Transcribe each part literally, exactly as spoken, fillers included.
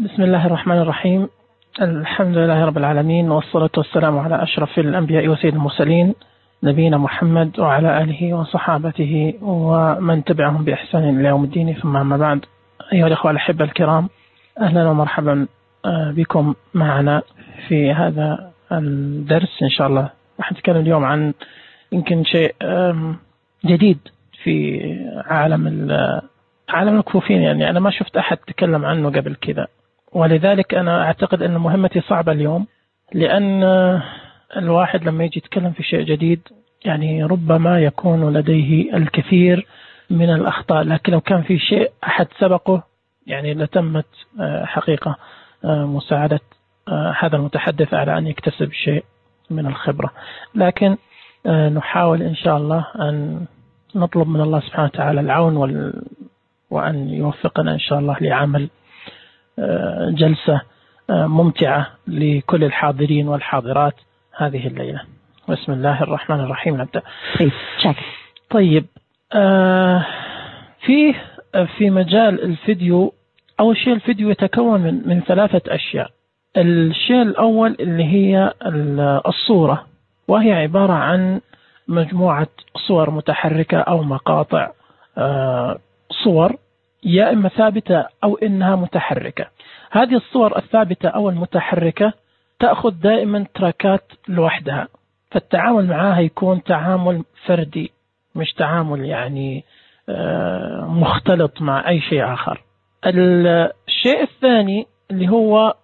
بسم الله الرحمن الرحيم. الحمد لله رب العالمين، والصلاة والسلام على أشرف الأنبياء وسيد المرسلين نبينا محمد وعلى آله وصحابته ومن تبعهم بإحسان إلى يوم الدين، ثم أما بعد. أيها الأخوة الأحبة الكرام، أهلا ومرحبا بكم معنا في هذا الدرس. إن شاء الله راح نتكلم اليوم عن يمكن شيء جديد في عالم عالم الكفوفين. يعني أنا ما شفت أحد تكلم عنه قبل كذا، ولذلك أنا أعتقد أن مهمتي صعبة اليوم، لأن الواحد لما يجي يتكلم في شيء جديد يعني ربما يكون لديه الكثير من الأخطاء، لكن لو كان في شيء أحد سبقه يعني لتمت حقيقة مساعدة هذا المتحدث على أن يكتسب شيء من الخبرة. لكن نحاول إن شاء الله أن نطلب من الله سبحانه وتعالى العون وال... وأن يوفقنا إن شاء الله لعمل جلسة ممتعة لكل الحاضرين والحاضرات هذه الليلة. بسم الله الرحمن الرحيم. نبدأ. طيب، في في مجال الفيديو، أول شيء الفيديو يتكون من من ثلاثة أشياء. الشيء الأول اللي هي الصورة، وهي عبارة عن مجموعة صور متحركة أو مقاطع صور، يا إما ثابتة أو إنها متحركة. هذه الصور الثابتة أو المتحركة تأخذ دائما تراكات لوحدها، فالتعامل معها يكون تعامل فردي، مش تعامل يعني مختلط مع أي شيء آخر. الشيء الثاني اللي هو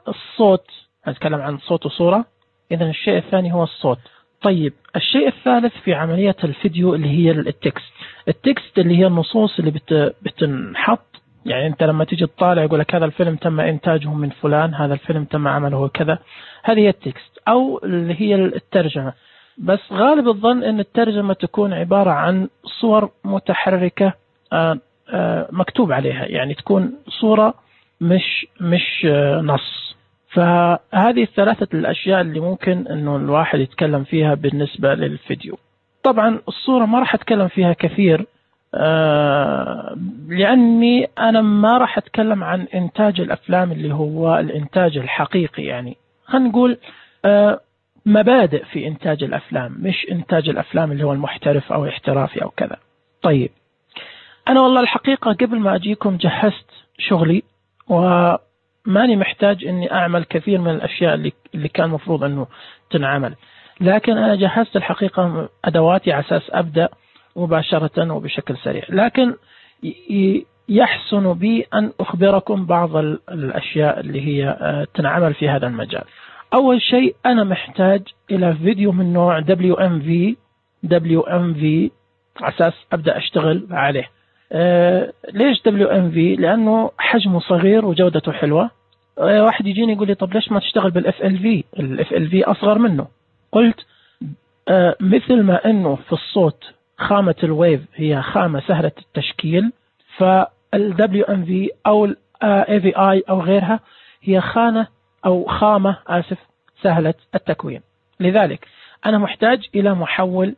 الصوت، نتكلم عن صوت وصورة، إذن الشيء الثاني هو الصوت. طيب، الشيء الثالث في عملية الفيديو اللي هي التكست. التكست اللي هي النصوص اللي بت بتنحط، يعني أنت لما تيجي تطالع يقول لك هذا الفيلم تم إنتاجه من فلان، هذا الفيلم تم عمله كذا. هذه هي التكست، أو اللي هي الترجمة. بس غالب الظن أن الترجمة تكون عبارة عن صور متحركة آآ آآ مكتوب عليها، يعني تكون صورة مش مش نص. فهذه الثلاثة الأشياء اللي ممكن أنه الواحد يتكلم فيها بالنسبة للفيديو. طبعا الصورة ما راح أتكلم فيها كثير، آه لأني أنا ما راح أتكلم عن إنتاج الأفلام اللي هو الإنتاج الحقيقي، يعني خلينا نقول آه مبادئ في إنتاج الأفلام، مش إنتاج الأفلام اللي هو المحترف أو احترافي أو كذا. طيب، أنا والله الحقيقة قبل ما أجيكم جهزت شغلي، وماني محتاج أني أعمل كثير من الأشياء اللي, اللي كان مفروض أنه تنعمل، لكن أنا جهزت الحقيقة أدواتي على أساس أبدأ مباشرة وبشكل سريع. لكن يحسن بي أن أخبركم بعض الأشياء اللي هي تنعمل في هذا المجال. أول شيء أنا محتاج إلى فيديو من نوع دبليو إم في دبليو إم في على أساس أبدأ أشتغل عليه. أه ليش دبليو إم في؟ لأنه حجمه صغير وجودته حلوة. أه واحد يجيني يقول لي طب ليش ما تشتغل بالإف إل في؟ الإف إل في أصغر منه. قلت أه مثل ما أنه في الصوت خامة الويف هي خامة سهلة التشكيل، فالدبليو إم في أو اي في اي أو غيرها هي خانة أو خامة آسف سهلة التكوين. لذلك أنا محتاج إلى محول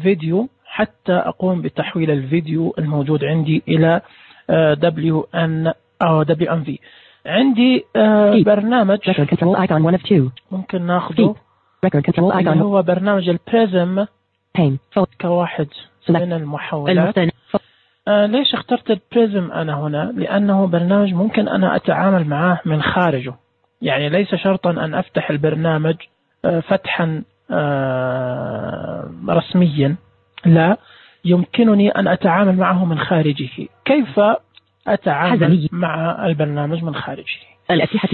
فيديو حتى أقوم بتحويل الفيديو الموجود عندي إلى دبليو إن أو دبليو إم في. عندي برنامج ممكن ناخذه اللي هو برنامج البريزم كواحد من المحولات. آه ليش اخترت البريزم أنا هنا؟ لأنه برنامج ممكن أنا أتعامل معاه من خارجه، يعني ليس شرطا أن أفتح البرنامج آه فتحا آه رسميا، لا، يمكنني أن أتعامل معه من خارجه. كيف أتعامل مع البرنامج من خارجه؟ الأسلحة.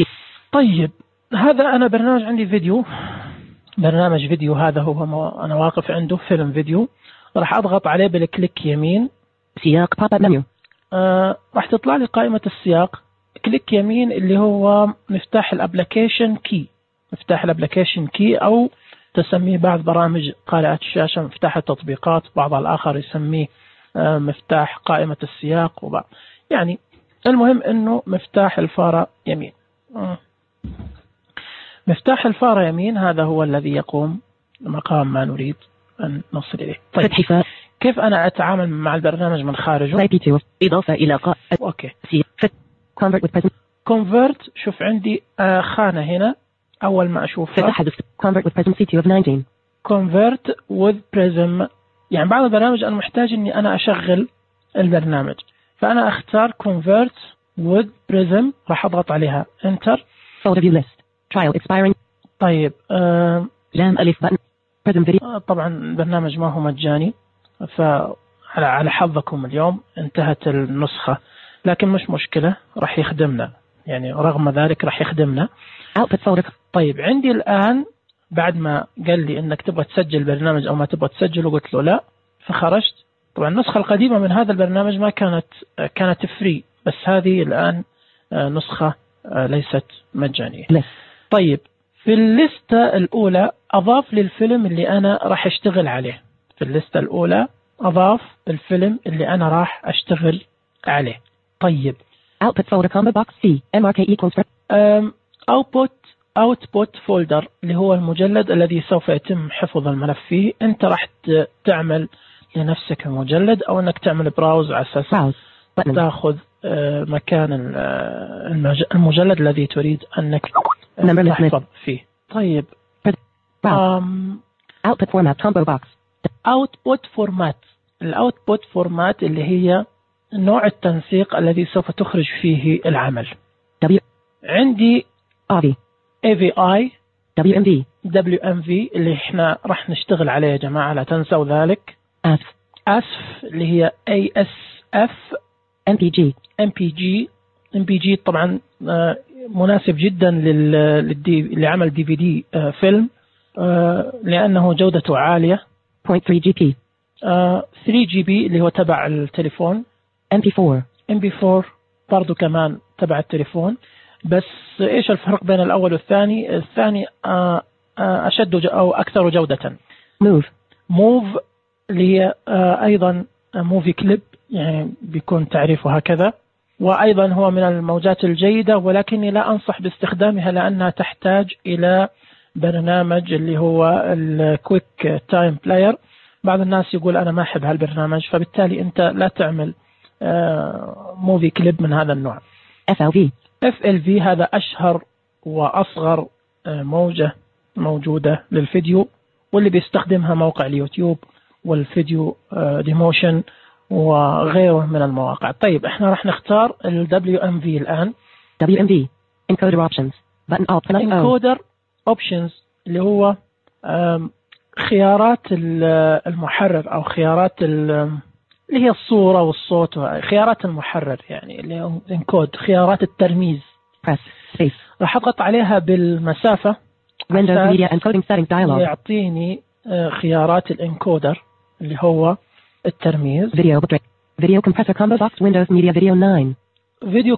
طيب، هذا أنا برنامج عندي فيديو، برنامج فيديو هذا هو أنا واقف عنده فيلم فيديو. راح أضغط عليه بالكليك يمين، سياق باب اب منيو، آه راح تطلع لي قائمة السياق. كليك يمين اللي هو مفتاح الابليكيشن كي، مفتاح الابليكيشن كي أو تسميه بعض برامج قارئة الشاشة مفتاح التطبيقات، بعض الآخر يسميه آه مفتاح قائمة السياق، وبعض يعني المهم أنه مفتاح الفارة يمين. آه. مفتاح الفارة يمين هذا هو الذي يقوم مقام ما نريد أن نصل إليه. طيب، كيف أنا أتعامل مع البرنامج من خارجه؟ إضافة إلى قاء. أوكي. convert with present convert شوف عندي آه خانة هنا أول ما أشوفها convert with prism سي تي of nineteen convert with prism. يعني بعض البرامج أنا محتاج إني أنا أشغل البرنامج، فأنا أختار convert with prism، راح أضغط عليها enter. folder view list trial expiring. طيب آه جام ألف button prism video. آه طبعا البرنامج ما هو مجاني، فعلى على حظكم اليوم انتهت النسخة، لكن مش مشكلة راح يخدمنا، يعني رغم ذلك راح يخدمنا. output folder. طيب عندي الآن بعد ما قال لي إنك تبغى تسجل برنامج أو ما تبغى تسجله، قلت له لا، فخرجت. طبعا النسخة القديمة من هذا البرنامج ما كانت كانت فري، بس هذه الآن نسخة ليست مجانية. طيب في الليستة الأولى أضاف لي الفيلم اللي أنا راح أشتغل عليه. في الليستة الأولى أضاف الفيلم اللي أنا راح أشتغل عليه. طيب output folder combo box C M R K equals output output folder اللي هو المجلد الذي سوف يتم حفظ الملف فيه. أنت راح تعمل لنفسك المجلد أو أنك تعمل براوز على أساس تأخذ مكان المجلد الذي تريد أنك تحفظ فيه. طيب um, output format combo box output format الoutput format اللي هي نوع التنسيق الذي سوف تخرج فيه العمل. W عندي A V A V I W M V W M V اللي احنا راح نشتغل عليه يا جماعة، لا تنسوا ذلك. أسف أسف اللي هي A S F M P G M P G M P G طبعا مناسب جدا للدي لعمل دي في دي فيلم لأنه جودته عالية. صفر فاصلة ثلاثة جي بي ثري جي بي اللي هو تبع التليفون. إم بي فور إم بي فور برضو كمان تبع التليفون. بس إيش الفرق بين الأول والثاني؟ الثاني أشد أو أكثر جودة. موف موف اللي هي أيضا موفي كليب، يعني بيكون تعريفه هكذا، وأيضا هو من الموجات الجيدة، ولكني لا أنصح باستخدامها لأنها تحتاج إلى برنامج اللي هو الكويك تايم بلاير. بعض الناس يقول أنا ما أحب هالبرنامج، فبالتالي أنت لا تعمل موفي كليب من هذا النوع. إف إل في إف إل في هذا أشهر وأصغر موجة موجودة للفيديو، واللي بيستخدمها موقع اليوتيوب والفيديو ديموشن وغيره من المواقع. طيب احنا راح نختار ال دبليو إم في الآن. دبليو إم في encoder options button alt encoder options اللي هو خيارات المحرر أو خيارات اللي هي الصورة والصوت، خيارات المحرر يعني اللي هو انكود، خيارات الترميز. راح أضغط عليها بالمسافة Windows Media Encoding Settings Dialog يعطيني خيارات الانكودر اللي هو الترميز. Video Video Compressor Combo Box Windows Media Video ناين. فيديو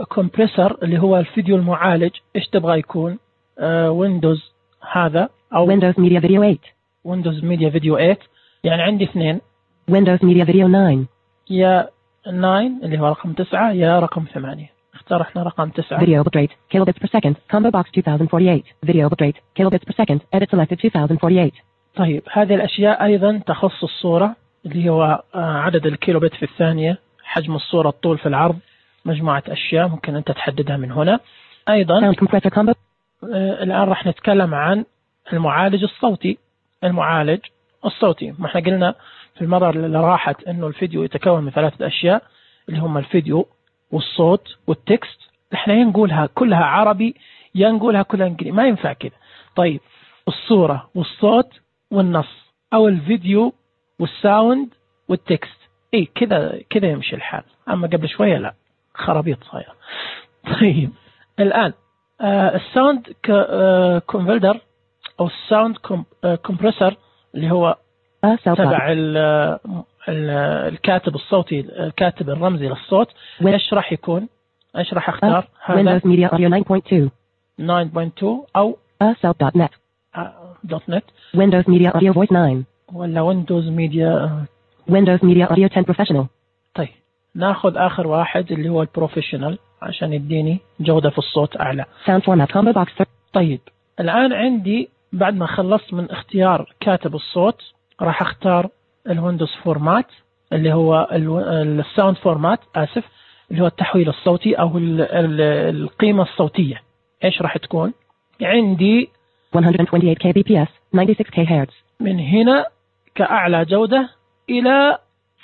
كومبريسر اللي هو الفيديو المعالج. إيش تبغى يكون؟ ويندوز هذا أو Windows Media Video ثمانية. ويندوز ميديا فيديو ثمانية. يعني عندي اثنين، Windows Media Video ناين، يا تسعة اللي هو رقم تسعة يا رقم ثمانية. اختار احنا رقم تسعة. Video bitrate kilobits per second combo box two thousand forty-eight. Video bitrate kilobits per second edit selected two thousand forty-eight. طيب هذه الأشياء أيضا تخص الصورة اللي هو عدد الكيلوبت في الثانية، حجم الصورة، الطول في العرض، مجموعة أشياء ممكن أنت تحددها من هنا. أيضا الآن راح نتكلم عن المعالج الصوتي. المعالج الصوتي ما احنا قلنا في المرة اللي راحت إنه الفيديو يتكون من ثلاثة أشياء اللي هم الفيديو والصوت والتكست. احنا ينقولها كلها عربي ينقولها كلها انجليزي، ما ينفع كده. طيب الصورة والصوت والنص، أو الفيديو والساوند والتكست، ايه كذا كذا يمشي الحال. أما قبل شوية لا، خرابيط صايرة. طيب الآن آه الساوند كونفلدر أو الساوند كومبريسر اللي هو تبع الكاتب الصوتي، الكاتب الرمزي للصوت. ايش راح يكون؟ ايش راح اختار؟ هذا Windows Media Audio ناين نقطة اثنين ناين نقطة اثنين او أسلب دوت نت دوت نت Windows Media Audio Voice ناين ولا Windows Media Windows Media Audio عشرة Professional. طيب ناخذ اخر واحد اللي هو البروفيشنال عشان يديني جودة في الصوت اعلى. Sound Format Combo Box. طيب الان عندي بعد ما خلصت من اختيار كاتب الصوت راح اختار الويندوز فورمات اللي هو الساوند فورمات، اسف اللي هو التحويل الصوتي أو ال ال القيمة الصوتية، إيش راح تكون؟ عندي one hundred twenty-eight K B P S ninety-six K Hz من هنا كأعلى جودة إلى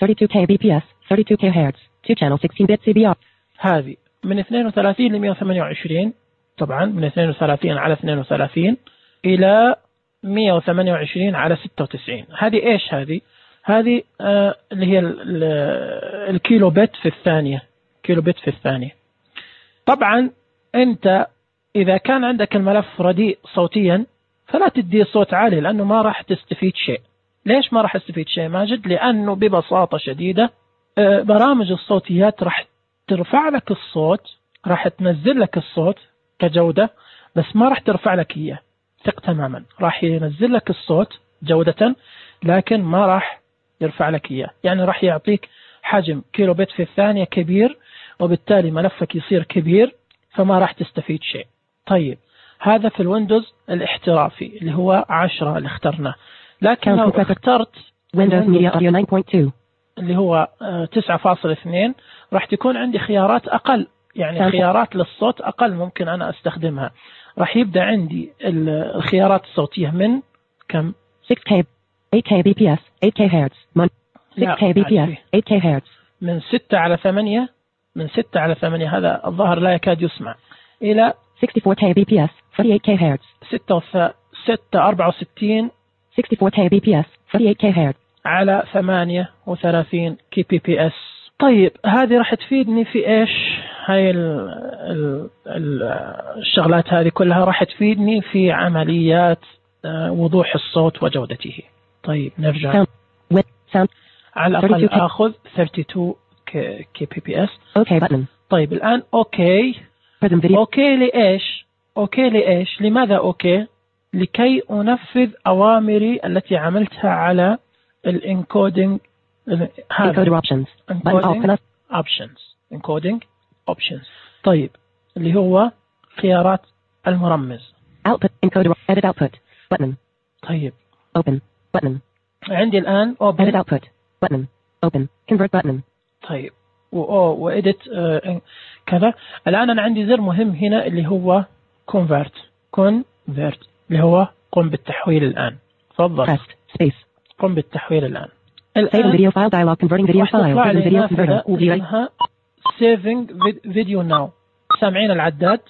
thirty-two K B P S thirty-two K Hz two channel sixteen bit C B R. هذه من اثنين وثلاثين ل مئة وثمانية وعشرين، طبعا من اثنين وثلاثين على اثنين وثلاثين إلى مئة وثمانية وعشرين على ستة وتسعين. هذه إيش هذه؟ هذه آه اللي هي الكيلو بت في الثانية، كيلو بت في الثانية. طبعا أنت إذا كان عندك الملف رديء صوتيا فلا تدي صوت عالي لأنه ما راح تستفيد شيء. ليش ما راح تستفيد شيء ماجد؟ لأنه ببساطة شديدة آه برامج الصوتيات راح ترفع لك الصوت، راح تنزل لك الصوت كجودة، بس ما راح ترفع لك إياه. ثق تماما، راح ينزل لك الصوت جودة لكن ما راح يرفع لك إياه. يعني راح يعطيك حجم كيلو بت في الثانية كبير، وبالتالي ملفك يصير كبير فما راح تستفيد شيء. طيب هذا في الويندوز الاحترافي اللي هو عشرة اللي اخترناه، لكن لو اخترت Windows Media Audio nine point two اللي هو تسعة فاصلة اثنين راح تكون عندي خيارات أقل، يعني خيارات للصوت أقل ممكن أنا أستخدمها. راح يبدأ عندي الخيارات الصوتية من كم؟ six K eight K B P S eight K Hz six K B P S eight K Hz من ستة على ثمانية، من ستة على ثمانية هذا الظاهر لا يكاد يسمع، إلى sixty-four K B P S forty-eight K Hz ستة ستة أربعة وستين sixty-four K B P S forty-eight K Hz على ثمانية وثلاثين كي بي بي اس. طيب هذه راح تفيدني في إيش؟ هاي ال ال ال الشغلات هذه كلها راح تفيدني في عمليات وضوح الصوت وجودته. طيب نرجع sound. Sound. على الأقل أخذ ثلاثة وثلاثين كي بي بي اس. أوكي button. طيب الآن أوكي. أوكي لإيش؟ أوكي لإيش؟ لماذا أوكي؟ لكي أنفذ أوامري التي عملتها على الانكودينج. encoder options. encoding options. encoding options. طيب اللي هو خيارات المرمز. output encoder edit output button. طيب open button. عندي الآن open edit output button open convert button. طيب و وإدت آه كذا. الآن أنا عندي زر مهم هنا اللي هو convert convert اللي هو قم بالتحويل الآن. تفضل. space. قم بالتحويل الآن. Save video file dialog converting video file saving video converter. saving video now. سامعين العداد؟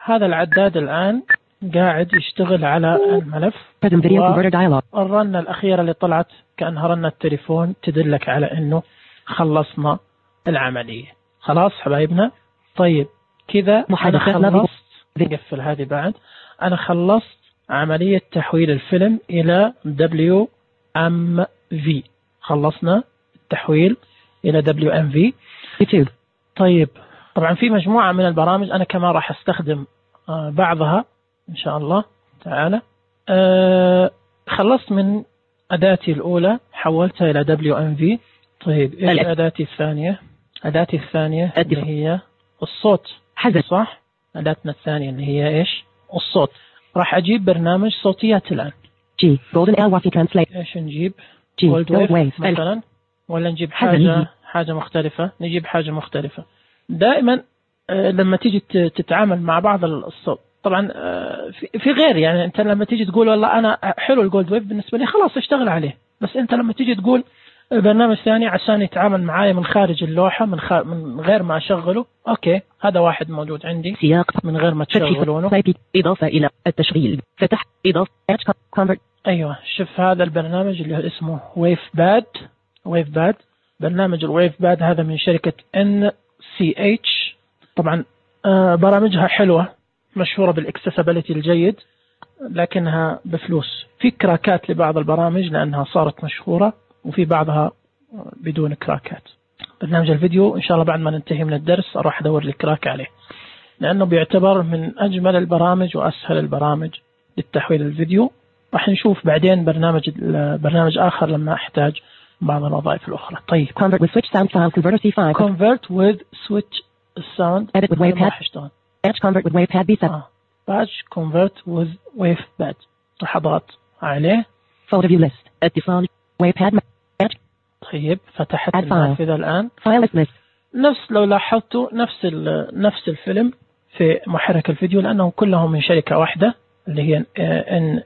هذا العداد الآن قاعد يشتغل على الملف. present video converter dialog. الرنة الأخيرة اللي طلعت كأنها رنة التليفون تدلك على إنه خلصنا العملية. خلاص حبايبنا. طيب كذا أنا خلصت. نقفل هذه بعد. أنا خلصت عملية تحويل الفيلم إلى دبليو إم في. خلصنا التحويل إلى دبليو إم في. يوتيوب. طيب طبعا في مجموعة من البرامج أنا كمان راح أستخدم آه بعضها إن شاء الله تعالى. آه خلصت من أداتي الأولى حولتها إلى دبليو إم في. طيب إيش أداتي الثانية؟ أداتي الثانية اللي هي الصوت. حذف. صح. أداتنا الثانية اللي هي إيش؟ الصوت. راح أجيب برنامج صوتيات الآن. جي Golden Air Wafi Translate. إيش نجيب؟ جي Gold Wave مثلا، ولا نجيب حاجة حاجة مختلفة؟ نجيب حاجة مختلفة. دائما لما تيجي تتعامل مع بعض الصوت طبعا في غير، يعني أنت لما تيجي تقول والله أنا حلو الجولد ويف بالنسبة لي خلاص اشتغل عليه، بس أنت لما تيجي تقول برنامج ثاني عشان يتعامل معايا من خارج اللوحة من, خ... من غير ما أشغله، أوكي هذا واحد موجود عندي سياق من غير ما تشغلونه. إضافة إلى التشغيل فتح إضافة convert. أيوة شوف هذا البرنامج اللي اسمه ويف باد. ويف باد برنامج الويف باد هذا من شركة إن سي إتش. طبعا آه برامجها حلوة مشهورة بالاكسسابيليتي الجيد، لكنها بفلوس. في كراكات لبعض البرامج لأنها صارت مشهورة، وفي بعضها بدون كراكات. برنامج الفيديو إن شاء الله بعد ما ننتهي من الدرس أروح أدور لي كراك عليه، لأنه بيعتبر من أجمل البرامج وأسهل البرامج للتحويل الفيديو. راح نشوف بعدين برنامج برنامج آخر لما أحتاج بعض الوظائف الأخرى. طيب convert with switch sound file converter سي فايف. convert with switch sound edit with wavepad. batch convert with wavepad بي سبعة. batch convert with wavepad. راح أضغط عليه. folder view list اتصال wavepad. طيب فتحت النافذة الآن. file list نفس لو لاحظتوا نفس نفس الفيلم في محرك الفيديو، لأنهم كلهم من شركة واحدة اللي هي إن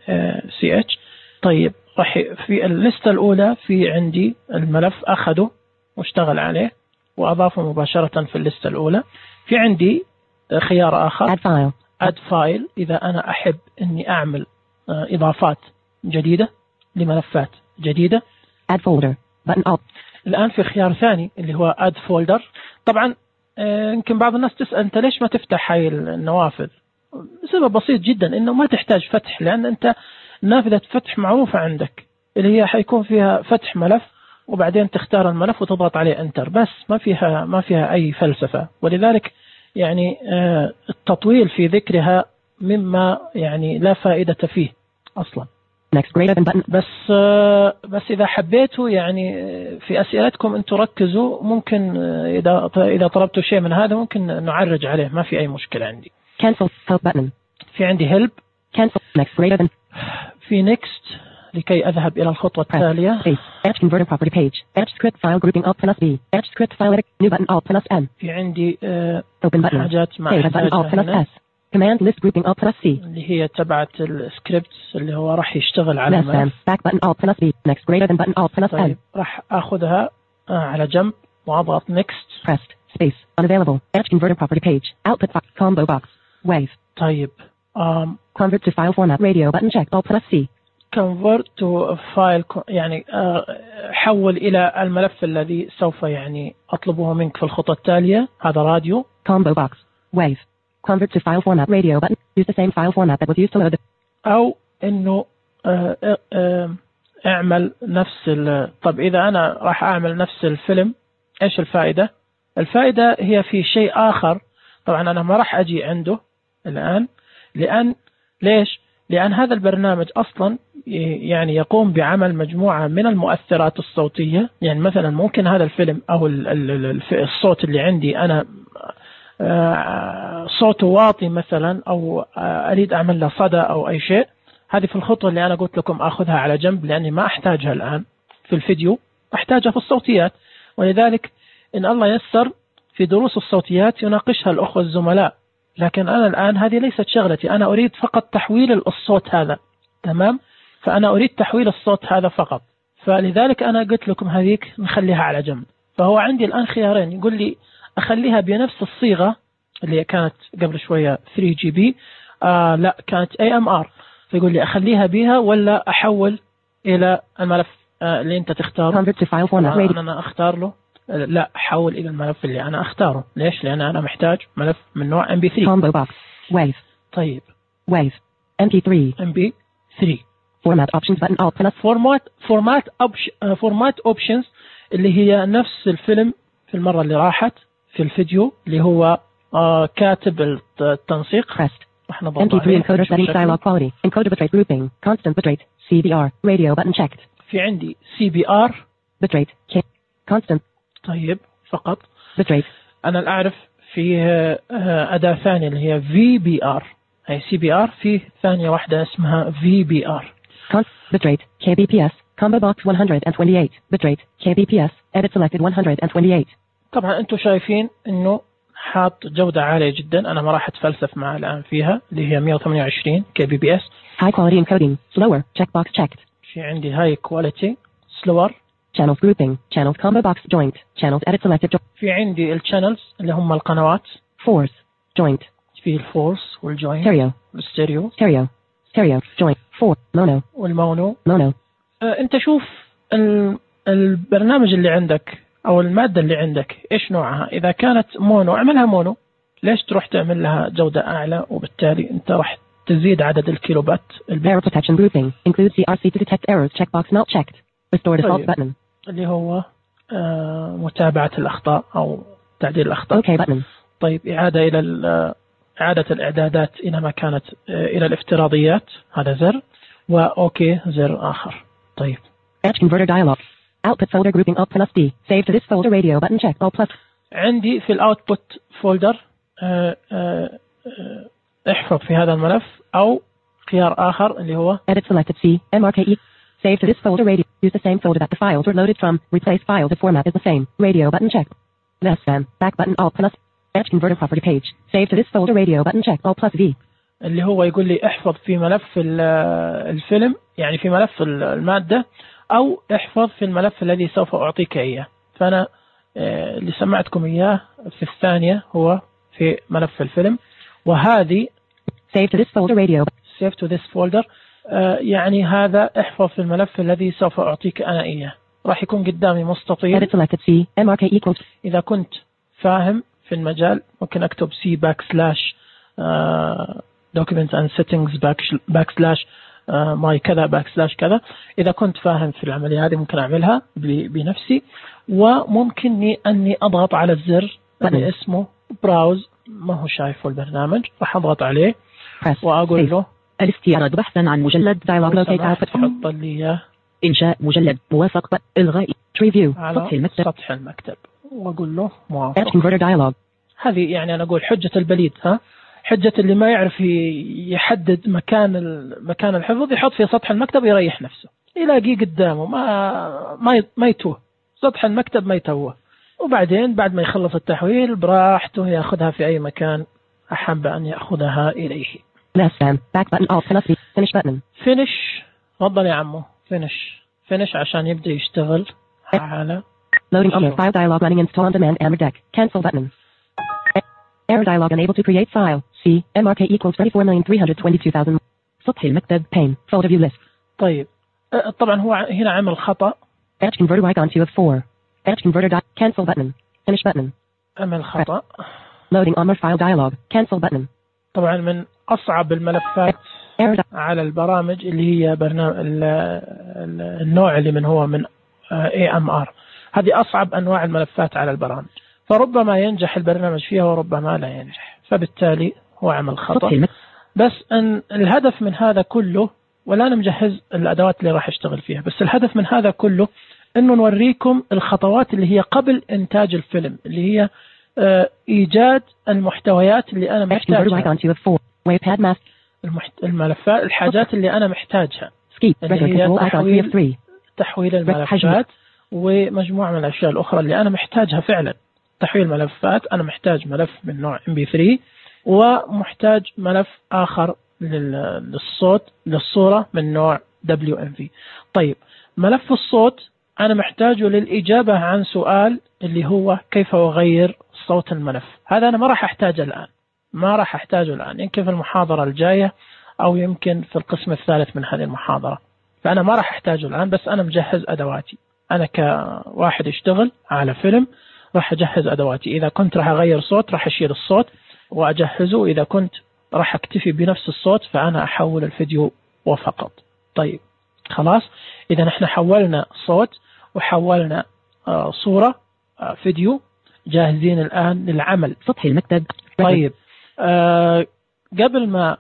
سي إتش. طيب راح في الليستة الأولى في عندي الملف أخده واشتغل عليه وأضافه مباشرة في الليستة الأولى. في عندي خيار آخر Add file. Add file، إذا أنا أحب إني أعمل إضافات جديدة لملفات جديدة. Add folder. Button Alt. الآن في خيار ثاني اللي هو Add folder. طبعا يمكن بعض الناس تسأل أنت ليش ما تفتح هاي النوافذ؟ سبب بسيط جدا، إنه ما تحتاج فتح، لأن أنت نافذة فتح معروفة عندك اللي هي حيكون فيها فتح ملف وبعدين تختار الملف وتضغط عليه انتر بس، ما فيها ما فيها أي فلسفة. ولذلك يعني التطويل في ذكرها مما يعني لا فائدة فيه أصلا. Next greater than button. بس بس إذا حبيتوا يعني في أسئلتكم أنتوا ركزوا، ممكن إذا إذا طلبتوا شيء من هذا ممكن نعرج عليه، ما في أي مشكلة عندي. Cancel help button. في عندي help. Cancel. Next greater than. في next لكي أذهب إلى الخطوة التالية. Space. Etch converter property page. Etch script file grouping Alt plus B. Etch script file edit. New button Alt plus N. في عندي uh, Open button. حاجات مع Save button Alt plus S. Command list grouping Alt plus C. اللي هي تبعت السكريبت اللي هو راح يشتغل على الملف. Back button Alt plus B. Next greater than button Alt plus N. طيب راح أخذها على جنب وأضغط next. Pressed. Space. Unavailable. Etch converter property page. Output box. Combo box. Wave. طيب um, Convert to file format. Radio button check. Alt plus C. convert to file يعني حول إلى الملف الذي سوف يعني أطلبه منك في الخطوة التالية. هذا راديو. Combo box. Wave. Convert to file format. Radio button. Use the same file format that was used to load. أو إنه اعمل نفس ال... طب إذا أنا راح أعمل نفس الفيلم، إيش الفائدة؟ الفائدة هي في شيء آخر. طبعا أنا ما راح أجي عنده الآن، لأن ليش؟ لأن هذا البرنامج أصلا يعني يقوم بعمل مجموعة من المؤثرات الصوتية. يعني مثلا ممكن هذا الفيلم أو الصوت اللي عندي أنا صوته واطي مثلا، أو أريد أعمل له صدى أو أي شيء. هذه في الخطوة اللي أنا قلت لكم أخذها على جنب، لأني ما أحتاجها الآن في الفيديو، أحتاجها في الصوتيات. ولذلك إن الله يسر في دروس الصوتيات يناقشها الأخوة الزملاء، لكن أنا الآن هذه ليست شغلتي. أنا أريد فقط تحويل الصوت هذا، تمام؟ فأنا أريد تحويل الصوت هذا فقط. فلذلك أنا قلت لكم هذيك نخليها على جنب. فهو عندي الآن خيارين، يقول لي أخليها بنفس الصيغة اللي كانت قبل شوية ثري جي بي، آه لا كانت إيه إم آر. فيقول لي أخليها بها ولا أحول إلى الملف آه اللي أنت تختاره. أنا, أنا أختار له لا، حول إلى الملف اللي أنا أختاره. ليش؟ لأن أنا محتاج ملف من نوع إم بي ثري. Combo box. Wave. طيب. Wave. إم بي ثري. إم بي ثري. Format options button Alt plus. Format Format option Format options اللي هي نفس الفيلم في المرة اللي راحت في الفيديو اللي هو آه كاتب التنسيق. Pressed. إم بي ثري encoder setting dialog quality. Encoder bitrate grouping. Constant bitrate. سي بي آر. Radio button checked. في عندي سي بي آر. Bitrate. Constant. طيب فقط. Bitrate. أنا أعرف في أداة ثانية اللي هي في بي آر. هي سي بي آر، في ثانية واحدة اسمها في بي آر. Bitrate. كي بي بي إس. Combo box one twenty-eight. Bitrate. كي بي بي إس. Edit selected one twenty-eight. طبعا أنتم شايفين إنه حاط جودة عالية جدا. أنا ما راح أتفلسف معها الآن فيها، اللي هي مية وثمانية وعشرين كي بي بي إس. High quality encoding. Slower. Checkbox checked. في عندي high quality. Slower. Channels grouping. Channels combo box joint. Channels edit selected. في عندي الشانلز اللي هم القنوات. Force. Joint. في الفورس والجوينت. Stereo. الستيريو. Stereo. Stereo. Joint. Four. Mono. والمونو. Mono. أه أنت شوف البرنامج اللي عندك أو المادة اللي عندك إيش نوعها. إذا كانت مونو اعملها مونو. ليش تروح تعمل لها جودة أعلى؟ وبالتالي أنت راح تزيد عدد الكيلوبات. Error protection grouping. Include سي آر سي to detect errors. Checkbox not checked. Restore default طيب. button. اللي هو آه متابعة الأخطاء أو تعديل الأخطاء. OK button. طيب إعادة إلى إعادة الإعدادات إلى ما كانت آه إلى الافتراضيات. هذا زر. وأوكي زر آخر. طيب. Etch converter dialog. Output folder grouping Alt plus D. Save to this folder radio button check. Alt plus. عندي في الأوتبوت فولدر آه آه آه احفظ في هذا الملف، أو خيار آخر اللي هو Edit selected C. M R K E. Save to this folder radio. Use the same folder that the files were loaded from. Replace files if format is the same. Radio button check. Less than. Back button Alt plus. Edge converter property page. Save to this folder radio button check Alt plus V. اللي هو يقول لي احفظ في ملف الفيلم، يعني في ملف المادة، أو احفظ في الملف الذي سوف أعطيك إياه. فأنا اللي سمعتكم إياه في الثانية هو في ملف الفيلم، وهذه Save to this folder radio. Save to this folder يعني هذا احفظ في الملف الذي سوف أعطيك أنا إياه. راح يكون قدامي مستطيل. Edit selected C M R K equals. إذا كنت فاهم في المجال ممكن أكتب C backslash documents and settings backslash my كذا backslash كذا. إذا كنت فاهم في العملية هذه ممكن أعملها بنفسي، وممكن أني أضغط على الزر اللي اسمه براوز، ما هو شايفه البرنامج، راح أضغط عليه وأقول له الاستعراض بحثا عن مجلد dialog locate output. حط لي إياه إنشاء مجلد موافق إلغاء ريفيو على سطح المكتب, سطح المكتب وأقول له موافق. converter dialog. هذه يعني أنا أقول حجة البليد، ها حجة اللي ما يعرف يحدد مكان مكان الحفظ، يحط في سطح المكتب يريح نفسه، يلاقيه قدامه ما ما ما يتوه، سطح المكتب ما يتوه. وبعدين بعد ما يخلص التحويل براحته يأخذها في أي مكان أحب أن يأخذها إليه. Less than. Back button Alt plus V. Finish button. Finish. تفضل يا عمو. Finish. Finish عشان يبدأ يشتغل على Loading on file dialog running install on demand Amber deck. Cancel button. Error dialog unable to create file. C M R K equals thirty-four million three hundred twenty-two thousand. سطح المكتب pane. Folder view list. طيب طبعا هو هنا عمل خطأ. Edge converter icon two of four. Edge converter dot cancel button. Finish button. عمل خطأ. Loading on more file dialog. Cancel button. طبعا من أصعب الملفات على البرامج اللي هي برنامج النوع اللي من هو من إيه إم آر. هذه أصعب أنواع الملفات على البرامج، فربما ينجح البرنامج فيها وربما لا ينجح، فبالتالي هو عمل خطأ. بس أن الهدف من هذا كله، ولا أنا مجهز الأدوات اللي راح أشتغل فيها، بس الهدف من هذا كله إنه نوريكم الخطوات اللي هي قبل إنتاج الفيلم، اللي هي إيجاد المحتويات اللي أنا محتاجها، الملفات، الحاجات اللي أنا محتاجها، اللي هي تحويل, تحويل الملفات ومجموعة من الأشياء الأخرى اللي أنا محتاجها فعلا. تحويل ملفات، أنا محتاج ملف من نوع إم بي ثري، ومحتاج ملف آخر للصوت للصورة من نوع دبليو إم في. طيب ملف الصوت أنا محتاجه للإجابة عن سؤال اللي هو كيف أغير صوت الملف. هذا أنا ما راح أحتاجه الآن، ما راح أحتاجه الآن، يمكن في المحاضرة الجاية أو يمكن في القسم الثالث من هذه المحاضرة، فأنا ما راح أحتاجه الآن. بس أنا مجهز أدواتي، أنا كواحد يشتغل على فيلم راح أجهز أدواتي. إذا كنت راح أغير صوت راح أشيل الصوت وأجهزه، إذا كنت راح أكتفي بنفس الصوت فأنا أحول الفيديو وفقط. طيب خلاص، إذا نحن حولنا صوت وحولنا آه صورة آه فيديو، جاهزين الآن للعمل. سطح المكتب. طيب آه قبل ما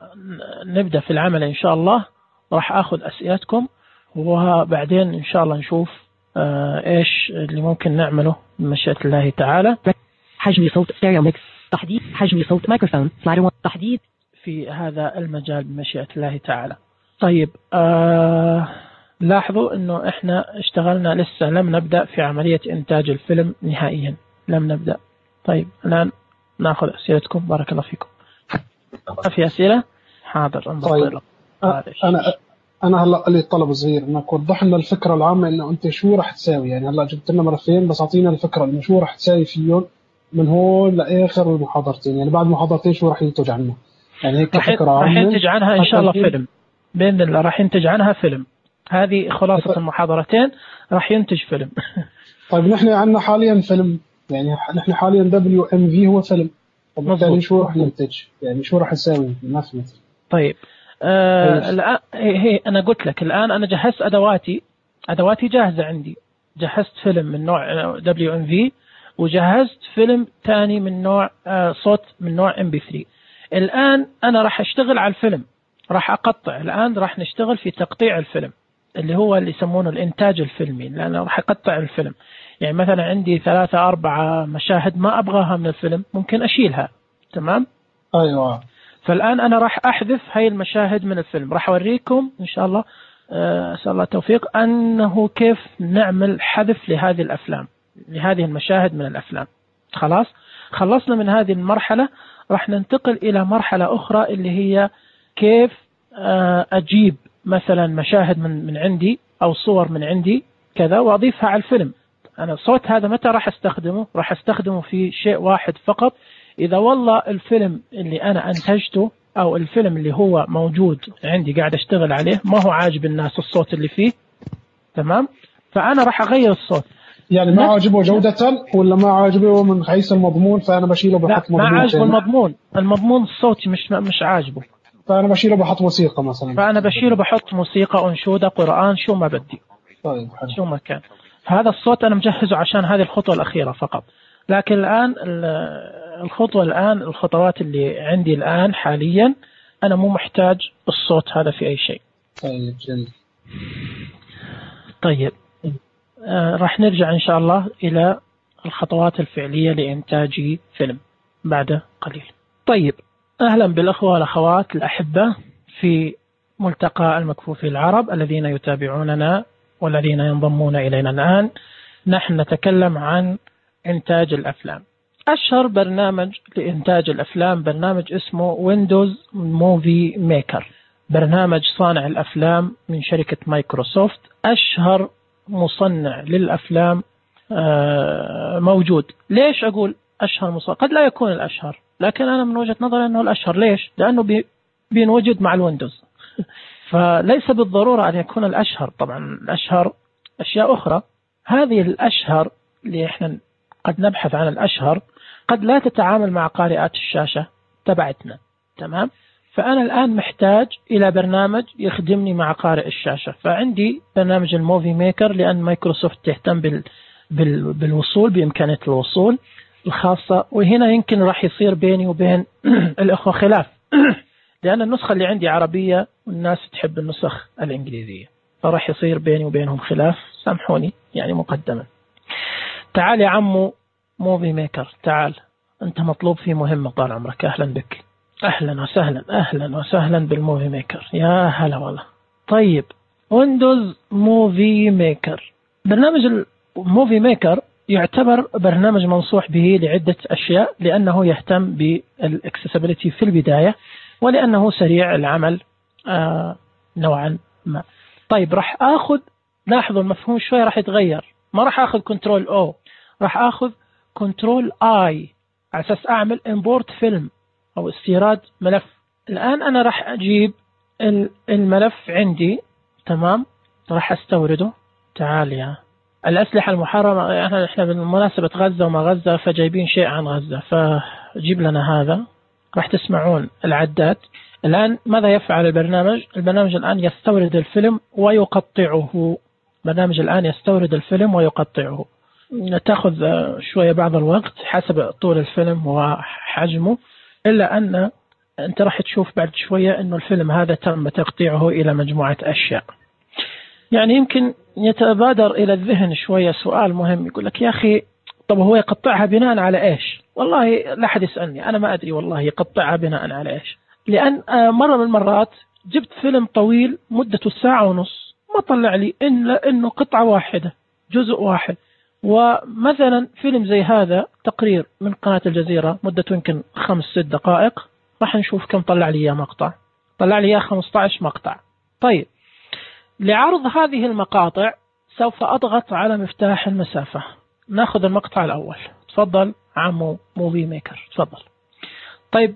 نبدأ في العمل إن شاء الله راح أخذ أسئلتكم، وبعدين إن شاء الله نشوف آه إيش اللي ممكن نعمله بمشيئة الله تعالى. حجم صوت ستيريو ميكس، تحديد حجم صوت مايكروفون سلايدر، تحديد في هذا المجال بمشيئة الله تعالى. طيب آه لاحظوا إنه إحنا اشتغلنا، لسه لم نبدأ في عملية إنتاج الفيلم نهائيا، لم نبدأ. طيب الآن نأخذ أسئلتكم، بارك الله فيكم. في أسئلة؟ حاضر. طيب أنا أنا هلا لي طلب صغير، إنك وضح لنا الفكرة العامة، إنه أنت شو راح تساوي. يعني هلا جبت لنا ملفين بس أعطينا الفكرة إنه شو راح تساوي فيهم من هون لآخر المحاضرتين، يعني بعد محاضرتين شو راح ينتج عنه. يعني هيك فكرة عامة. راح ينتج عنها إن شاء الله فيلم بإذن الله، راح ينتج عنها فيلم. هذه خلاصة ف... المحاضرتين راح ينتج فيلم. طيب نحن عندنا حاليا فيلم، يعني نحن حاليا دبليو إم في هو فيلم، وبالتالي شو راح ننتج، يعني شو راح نساوي ما فهمت. طيب آه الآن هي أنا قلت لك الآن أنا جهزت أدواتي، أدواتي جاهزة عندي. جهزت فيلم من نوع دبليو إم في، وجهزت فيلم ثاني من نوع آه صوت من نوع إم بي ثري. الآن أنا راح أشتغل على الفيلم، راح أقطع. الآن راح نشتغل في تقطيع الفيلم اللي هو اللي يسمونه الإنتاج الفيلمي، لأنه راح أقطع الفيلم. يعني مثلا عندي ثلاثة أربعة مشاهد ما أبغاها من الفيلم، ممكن أشيلها. تمام؟ أيوة. فالآن أنا راح أحذف هاي المشاهد من الفيلم. راح أوريكم إن شاء الله، أسأل الله التوفيق، أنه كيف نعمل حذف لهذه الأفلام، لهذه المشاهد من الأفلام. خلاص خلصنا من هذه المرحلة، راح ننتقل إلى مرحلة أخرى اللي هي كيف أجيب مثلا مشاهد من من عندي أو صور من عندي كذا وأضيفها على الفيلم. أنا الصوت هذا متى راح أستخدمه؟ راح أستخدمه في شيء واحد فقط، إذا والله الفيلم اللي أنا أنتجته أو الفيلم اللي هو موجود عندي قاعد أشتغل عليه ما هو عاجب الناس الصوت اللي فيه، تمام، فأنا راح أغير الصوت. يعني ما عاجبه جودة ولا ما عاجبه من حيث المضمون، فأنا بشيله بحط مضمون. ما عاجبه المضمون، المضمون الصوتي مش مش عاجبه، فأنا بشيله بحط موسيقى مثلا. فأنا بشيله بحط موسيقى، أنشودة، قرآن، شو ما بدي. طيب شو ما كان. فهذا الصوت أنا مجهزه عشان هذه الخطوة الأخيرة فقط. لكن الآن الخطوة الآن الخطوات اللي عندي الآن حاليا أنا مو محتاج الصوت هذا في أي شيء. طيب جميل. طيب آه راح نرجع إن شاء الله إلى الخطوات الفعلية لإنتاج فيلم بعد قليل. طيب أهلا بالأخوة والأخوات الأحبة في ملتقى المكفوفي العرب الذين يتابعوننا والذين ينضمون إلينا الآن. نحن نتكلم عن إنتاج الأفلام. أشهر برنامج لإنتاج الأفلام برنامج اسمه ويندوز موفي ميكر، برنامج صانع الأفلام من شركة مايكروسوفت، أشهر مصنع للأفلام موجود. ليش أقول أشهر مصنع؟ قد لا يكون الأشهر، لكن أنا من وجهة نظري أنه الأشهر. ليش؟ لأنه بينوجد مع الويندوز فليس بالضرورة أن يكون الأشهر. طبعا الأشهر أشياء أخرى، هذه الأشهر اللي إحنا قد نبحث عن الأشهر قد لا تتعامل مع قارئات الشاشة تبعتنا، تمام؟ فأنا الآن محتاج إلى برنامج يخدمني مع قارئ الشاشة، فعندي برنامج الموفي ميكر لأن مايكروسوفت تهتم بال بال بالوصول بإمكانية الوصول الخاصة. وهنا يمكن راح يصير بيني وبين الأخوة خلاف لأن النسخة اللي عندي عربية والناس تحب النسخ الإنجليزية، فراح يصير بيني وبينهم خلاف، سامحوني يعني مقدما. تعال يا عمو موفي ميكر، تعال أنت مطلوب في مهمة طال عمرك. أهلا بك، أهلا وسهلا، أهلا وسهلا بالموفي ميكر، يا هلا والله. طيب ويندوز موفي ميكر، برنامج الموفي ميكر يعتبر برنامج منصوح به لعدة أشياء، لأنه يهتم بالاكسسبيليتي في البداية، ولأنه سريع العمل آه نوعا ما. طيب راح أخذ، لاحظوا المفهوم شوي راح يتغير، ما راح أخذ كنترول أو، راح أخذ كنترول آي على أساس أعمل إمبورت فيلم أو استيراد ملف. الآن أنا راح أجيب الملف عندي، تمام، راح أستورده. تعال يا الأسلحة المحرمة، احنا احنا بالمناسبة غزة وما غزة فجايبين شيء عن غزة، فجيب لنا هذا. راح تسمعون العداد. الآن ماذا يفعل البرنامج؟ البرنامج الآن يستورد الفيلم ويقطعه. برنامج الآن يستورد الفيلم ويقطعه. تأخذ شوية بعض الوقت حسب طول الفيلم وحجمه، إلا أن أنت راح تشوف بعد شوية أنه الفيلم هذا تم تقطيعه إلى مجموعة أشياء. يعني يمكن يتبادر إلى الذهن شوية سؤال مهم، يقول لك يا أخي طب هو يقطعها بناء على إيش؟ والله لا حد يسألني، أنا ما أدري والله يقطعها بناء على إيش. لأن مرة من المرات جبت فيلم طويل مدته ساعة ونص ما طلع لي إلا إنه قطعة واحدة، جزء واحد. ومثلا فيلم زي هذا تقرير من قناة الجزيرة مدته يمكن خمس ست دقائق، راح نشوف كم طلع لي يا مقطع. طلع لي يا خمسة عشر مقطع. طيب لعرض هذه المقاطع سوف أضغط على مفتاح المسافة. ناخذ المقطع الأول. تفضل عمو موفي ميكر، تفضل. طيب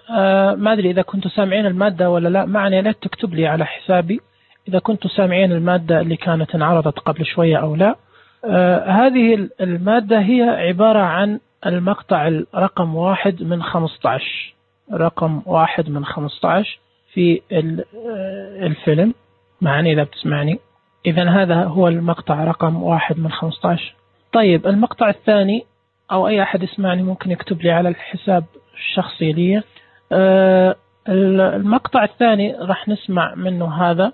آه ما أدري إذا كنتوا سامعين المادة ولا لا، معني لا تكتب لي على حسابي إذا كنتوا سامعين المادة اللي كانت انعرضت قبل شوية أو لا. آه هذه المادة هي عبارة عن المقطع الرقم واحد من خمسة عشر، رقم واحد من خمسة عشر في الفيلم. معني إذا بتسمعني، إذن هذا هو المقطع رقم واحد من خمسة عشر. طيب المقطع الثاني، أو أي أحد يسمعني ممكن يكتب لي على الحساب الشخصي لي. آه المقطع الثاني راح نسمع منه هذا.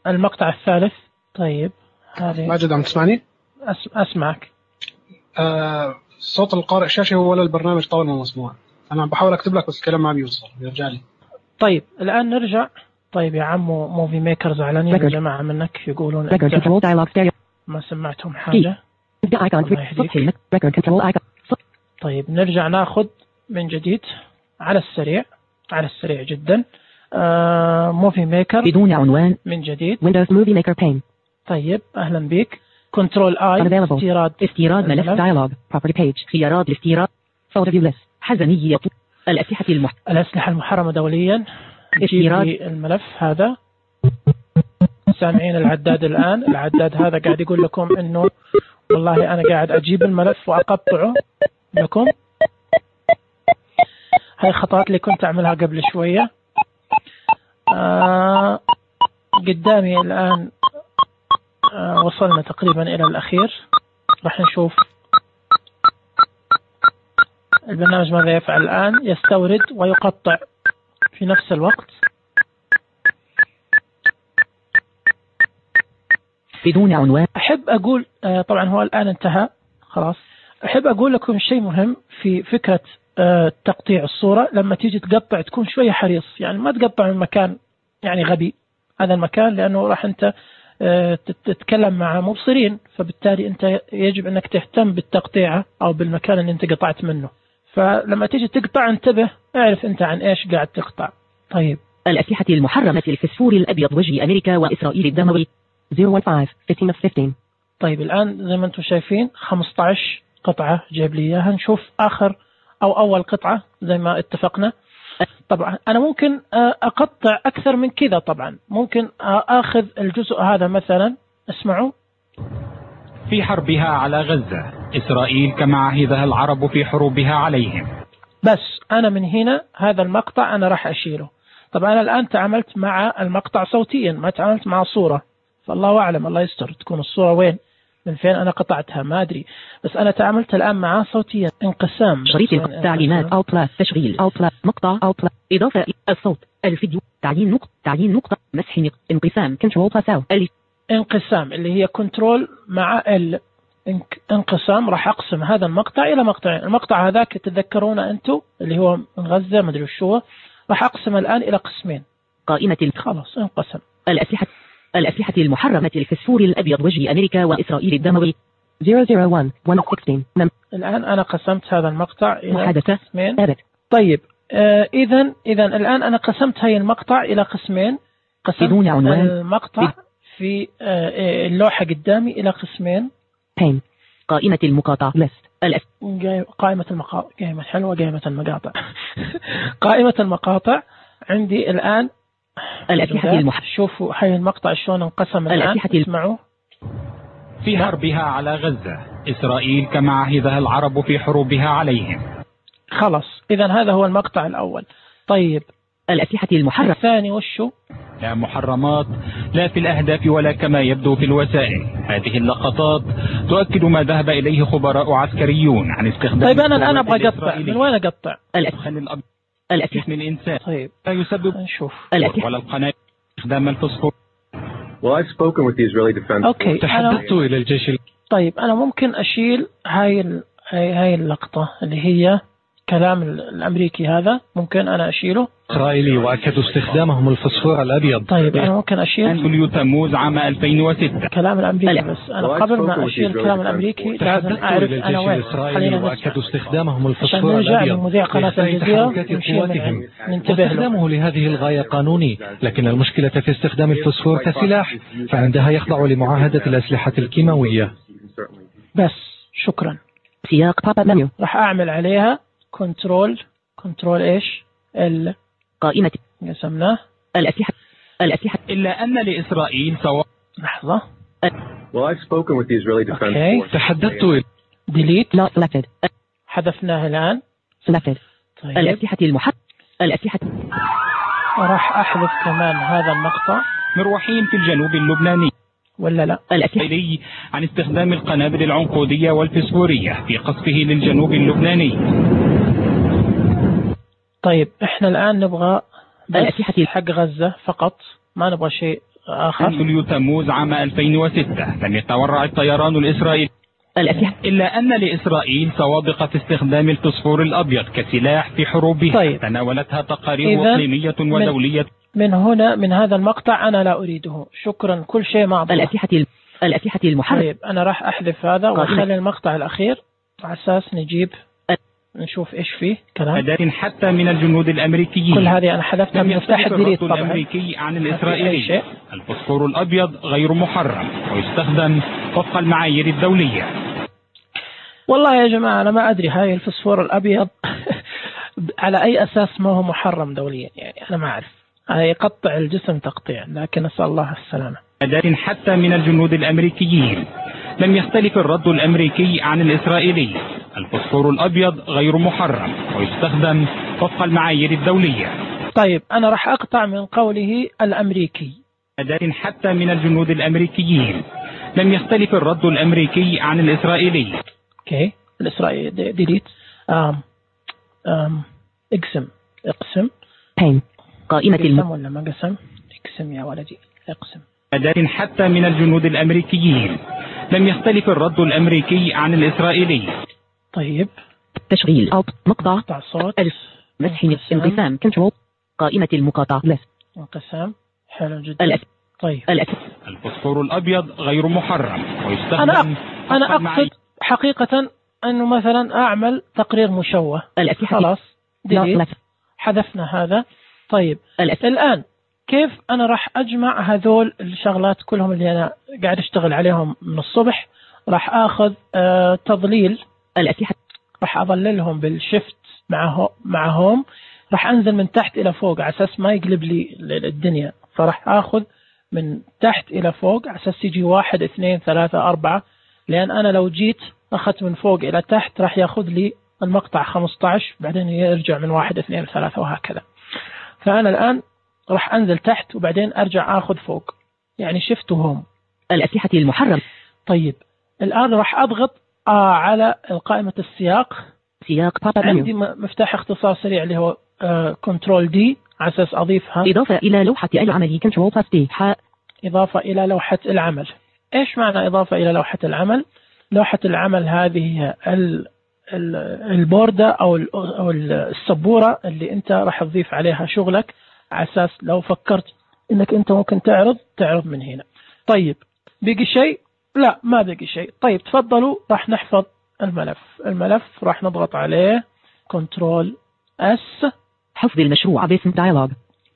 المقطع الثالث. طيب هذه ماجد عم تسمعني؟ أس... أسمعك. آه صوت القارئ الشاشة هو ولا البرنامج طول ما مسموع؟ أنا بحاول أكتب لك بس الكلام ما بيوصل، يرجع لي. طيب الآن نرجع. طيب يا عمو موفي ميكر زعلانين يا جماعة منك، يقولون ما سمعتهم حاجة. طيب نرجع ناخذ من جديد على السريع على السريع جدا. آه موفي ميكر بدون عنوان من جديد. Windows Movie Maker pane. طيب أهلا بك. كنترول آي استيراد استيراد ملف دايلوج Property Page خيارات الاستيراد Photo View List حزنية الأسلحة المح... الأسلحة المحرمة دوليا. استيراد الملف هذا. سامعين العداد الآن؟ العداد هذا قاعد يقول لكم إنه والله أنا قاعد أجيب الملف وأقطعه لكم. هاي خطوات اللي كنت أعملها قبل شوية. آه قدامي الآن آه وصلنا تقريبا إلى الأخير. راح نشوف البرنامج ماذا يفعل الآن. يستورد ويقطع في نفس الوقت. بدون عنوان. أحب أقول آه طبعا هو الآن انتهى خلاص. أحب أقول لكم شيء مهم في فكرة آه تقطيع الصورة. لما تيجي تقطع تكون شوية حريص، يعني ما تقطع من مكان يعني غبي. هذا المكان لأنه راح أنت آه تتكلم مع مبصرين، فبالتالي أنت يجب أنك تهتم بالتقطيع أو بالمكان اللي أنت قطعت منه. فلما تيجي تقطع انتبه، اعرف أنت عن إيش قاعد تقطع. طيب الأسلحة المحرمة الفسفور الأبيض وجه أمريكا وإسرائيل الدموي صفر واحد خمسة خمسة of خمسة عشر. طيب الآن زي ما أنتم شايفين خمسة عشر قطعة جايب لي إياها. نشوف آخر أو أول قطعة زي ما اتفقنا. طبعا أنا ممكن أقطع أكثر من كذا. طبعا ممكن أخذ الجزء هذا مثلا. اسمعوا. في حربها على غزة إسرائيل كما عهدها العرب في حروبها عليهم. بس أنا من هنا هذا المقطع أنا راح أشيله. طبعا أنا الآن تعاملت مع المقطع صوتيا، ما تعاملت مع صورة، فالله أعلم الله يستر تكون الصورة وين من فين أنا قطعتها ما أدري. بس أنا تعاملت الآن معاه صوتيا. انقسام شريط تعليمات أو بلاس تشغيل أو بلاس مقطع أو بلاس إضافة الصوت الفيديو تعيين نقطة تعيين نقطة مسح انقسام كنترول بلاس أو انقسام اللي هي كنترول مع ال انقسام. راح أقسم هذا المقطع إلى مقطعين. المقطع هذاك تتذكرون أنتم اللي هو من غزة ما أدري وش هو. راح أقسم الآن إلى قسمين. قائمة خلاص انقسم. الأسلحة الأسلحة المحرمة الفسفور الأبيض وجه أمريكا وإسرائيل الدموي صفر صفر واحد واحد ستة عشر. الآن أنا قسمت هذا المقطع إلى محادثة قسمين. أبد. طيب آه إذن إذن الآن أنا قسمت هاي المقطع إلى قسمين. قسمت بدون عنوان. المقطع في آه اللوحة قدامي إلى قسمين. بين قائمة المقاطع list الأس... قائمة المقاطع. قائمة حلوة قائمة المقاطع. قائمة المقاطع عندي الآن. الأسلحة المح... شوفوا هاي المقطع شلون انقسم الآن. اسمعوا. في حربها على غزة إسرائيل كما عهدها العرب في حروبها عليهم. خلاص إذا هذا هو المقطع الأول. طيب الأسلحة المحرمة الثاني وشو؟ لا محرمات لا في الأهداف ولا كما يبدو في الوسائل. هذه اللقطات تؤكد ما ذهب إليه خبراء عسكريون عن استخدام. طيب أنا الآن أبغى أقطع. من وين أقطع؟ الأسلحة الأسلحة من الإنسان. طيب لا يسبب نشوف. ولا القناة استخدام الفوسفور. Well, I've spoken with the Israeli Defense. أوكي. تحدثت إلى الجيش. طيب أنا ممكن أشيل هاي ال... هاي هاي اللقطة اللي هي كلام الأمريكي هذا. ممكن أنا أشيله. إسرائيلي وأكدوا استخدامهم الفسفور الأبيض. طيب أنا ممكن أشيل يوليو تموز عام ألفين وستة كلام الأمريكي. بس أنا قبل ما أشيل الكلام الأمريكي لازم أعرف أنا وين. خلينا وأكدوا استخدامهم الفسفور الأبيض. عشان نرجع لمذيع قناة الجزيرة ننتبه له. استخدامه لهذه الغاية قانوني، لكن المشكلة في استخدام الفسفور كسلاح، فعندها يخضع لمعاهدة الأسلحة الكيماوية. بس شكرا. سياق باب منيو. راح أعمل عليها كنترول كنترول إيش ال قائمة قسمناه. الأسلحة الأسلحة إلا أن لإسرائيل سواء. لحظة. Well, I've spoken with the Israeli Defense okay. Force. تحدثت. delete. not selected. حذفناه الآن. selected. طيب. الأسلحة المحرمة الأسلحة. راح أحذف كمان هذا المقطع. مروحين في الجنوب اللبناني ولا لا؟ الأسلحة عن استخدام القنابل العنقودية والفسفورية في قصفه للجنوب اللبناني. طيب احنا الآن نبغى الأسلحة حق غزة فقط، ما نبغى شيء آخر. يوليو تموز عام ألفين وستة لم يتورع الطيران الإسرائيلي الأسلحة إلا أن لإسرائيل سوابق في استخدام الفسفور الأبيض كسلاح في حروبها. طيب. تناولتها تقارير إقليمية ودولية. من هنا من هذا المقطع أنا لا أريده. شكرا. كل شيء مع بعض. الأسلحة الأسلحة المحرمة. طيب أنا راح أحذف هذا وأخلي المقطع الأخير على أساس نجيب نشوف إيش فيه كلام. أداة حتى من الجنود الأمريكيين. كل هذه أنا حذفتها من مفتاح الديليت طبعا. الأمريكي عن الإسرائيلي. الفوسفور الأبيض غير محرم ويستخدم وفق المعايير الدولية. والله يا جماعة أنا ما أدري هاي الفوسفور الأبيض على أي أساس ما هو محرم دوليا، يعني أنا ما أعرف. هاي يقطع الجسم تقطيع، لكن نسأل الله السلامة. أداة حتى من الجنود الأمريكيين. لم يختلف الرد الأمريكي عن الإسرائيلي. الفوسفور الأبيض غير محرم ويستخدم وفق المعايير الدولية. طيب أنا راح أقطع من قوله الأمريكي. أداة حتى من الجنود الأمريكيين. لم يختلف الرد الأمريكي عن الإسرائيلي. اوكي الإسرائيلي ديليت. آم آم اقسم اقسم بين قائمة الم ولا ما قسم؟ اقسم يا ولدي اقسم. أداة حتى من الجنود الأمريكيين. لم يختلف الرد الأمريكي عن الإسرائيلي. طيب تشغيل أو مقطع قطع صوت ألف مسح انقسام كنترول قائمة المقاطعة لس انقسام. حلو جدا. الأس طيب الأس الفوسفور الأبيض غير محرم ويستخدم. أنا أنا أقصد حقيقة أنه مثلا أعمل تقرير مشوه. الأسلحة خلاص ديليت. حذفنا هذا. طيب الأس... الآن كيف أنا راح أجمع هذول الشغلات كلهم اللي أنا قاعد أشتغل عليهم من الصبح؟ راح أخذ آه تضليل الأسلحة، راح أظللهم بالشفت معه معهم، راح أنزل من تحت إلى فوق على أساس ما يقلب لي الدنيا، فراح أخذ من تحت إلى فوق على أساس يجي واحد اثنين ثلاثة أربعة، لأن أنا لو جيت أخذت من فوق إلى تحت راح يأخذ لي المقطع خمسة عشر بعدين يرجع من واحد اثنين ثلاثة وهكذا. فأنا الآن راح أنزل تحت وبعدين أرجع أخذ فوق، يعني شفت هم الأسلحة المحرم. طيب الآن راح أضغط آه على قائمة السياق. سياق عندي مفتاح اختصار سريع اللي هو كنترول دي على أساس أضيفها. إضافة إلى لوحة العمل كنترول بلس دي. إضافة إلى لوحة العمل. إيش معنى إضافة إلى لوحة العمل؟ لوحة العمل هذه هي البوردة أو أو السبورة اللي أنت راح تضيف عليها شغلك على أساس لو فكرت إنك أنت ممكن تعرض تعرض من هنا. طيب بقي شيء؟ لا ما بقي شيء. طيب تفضلوا راح نحفظ الملف. الملف راح نضغط عليه كنترول اس. حفظ المشروع باسم دايلوج.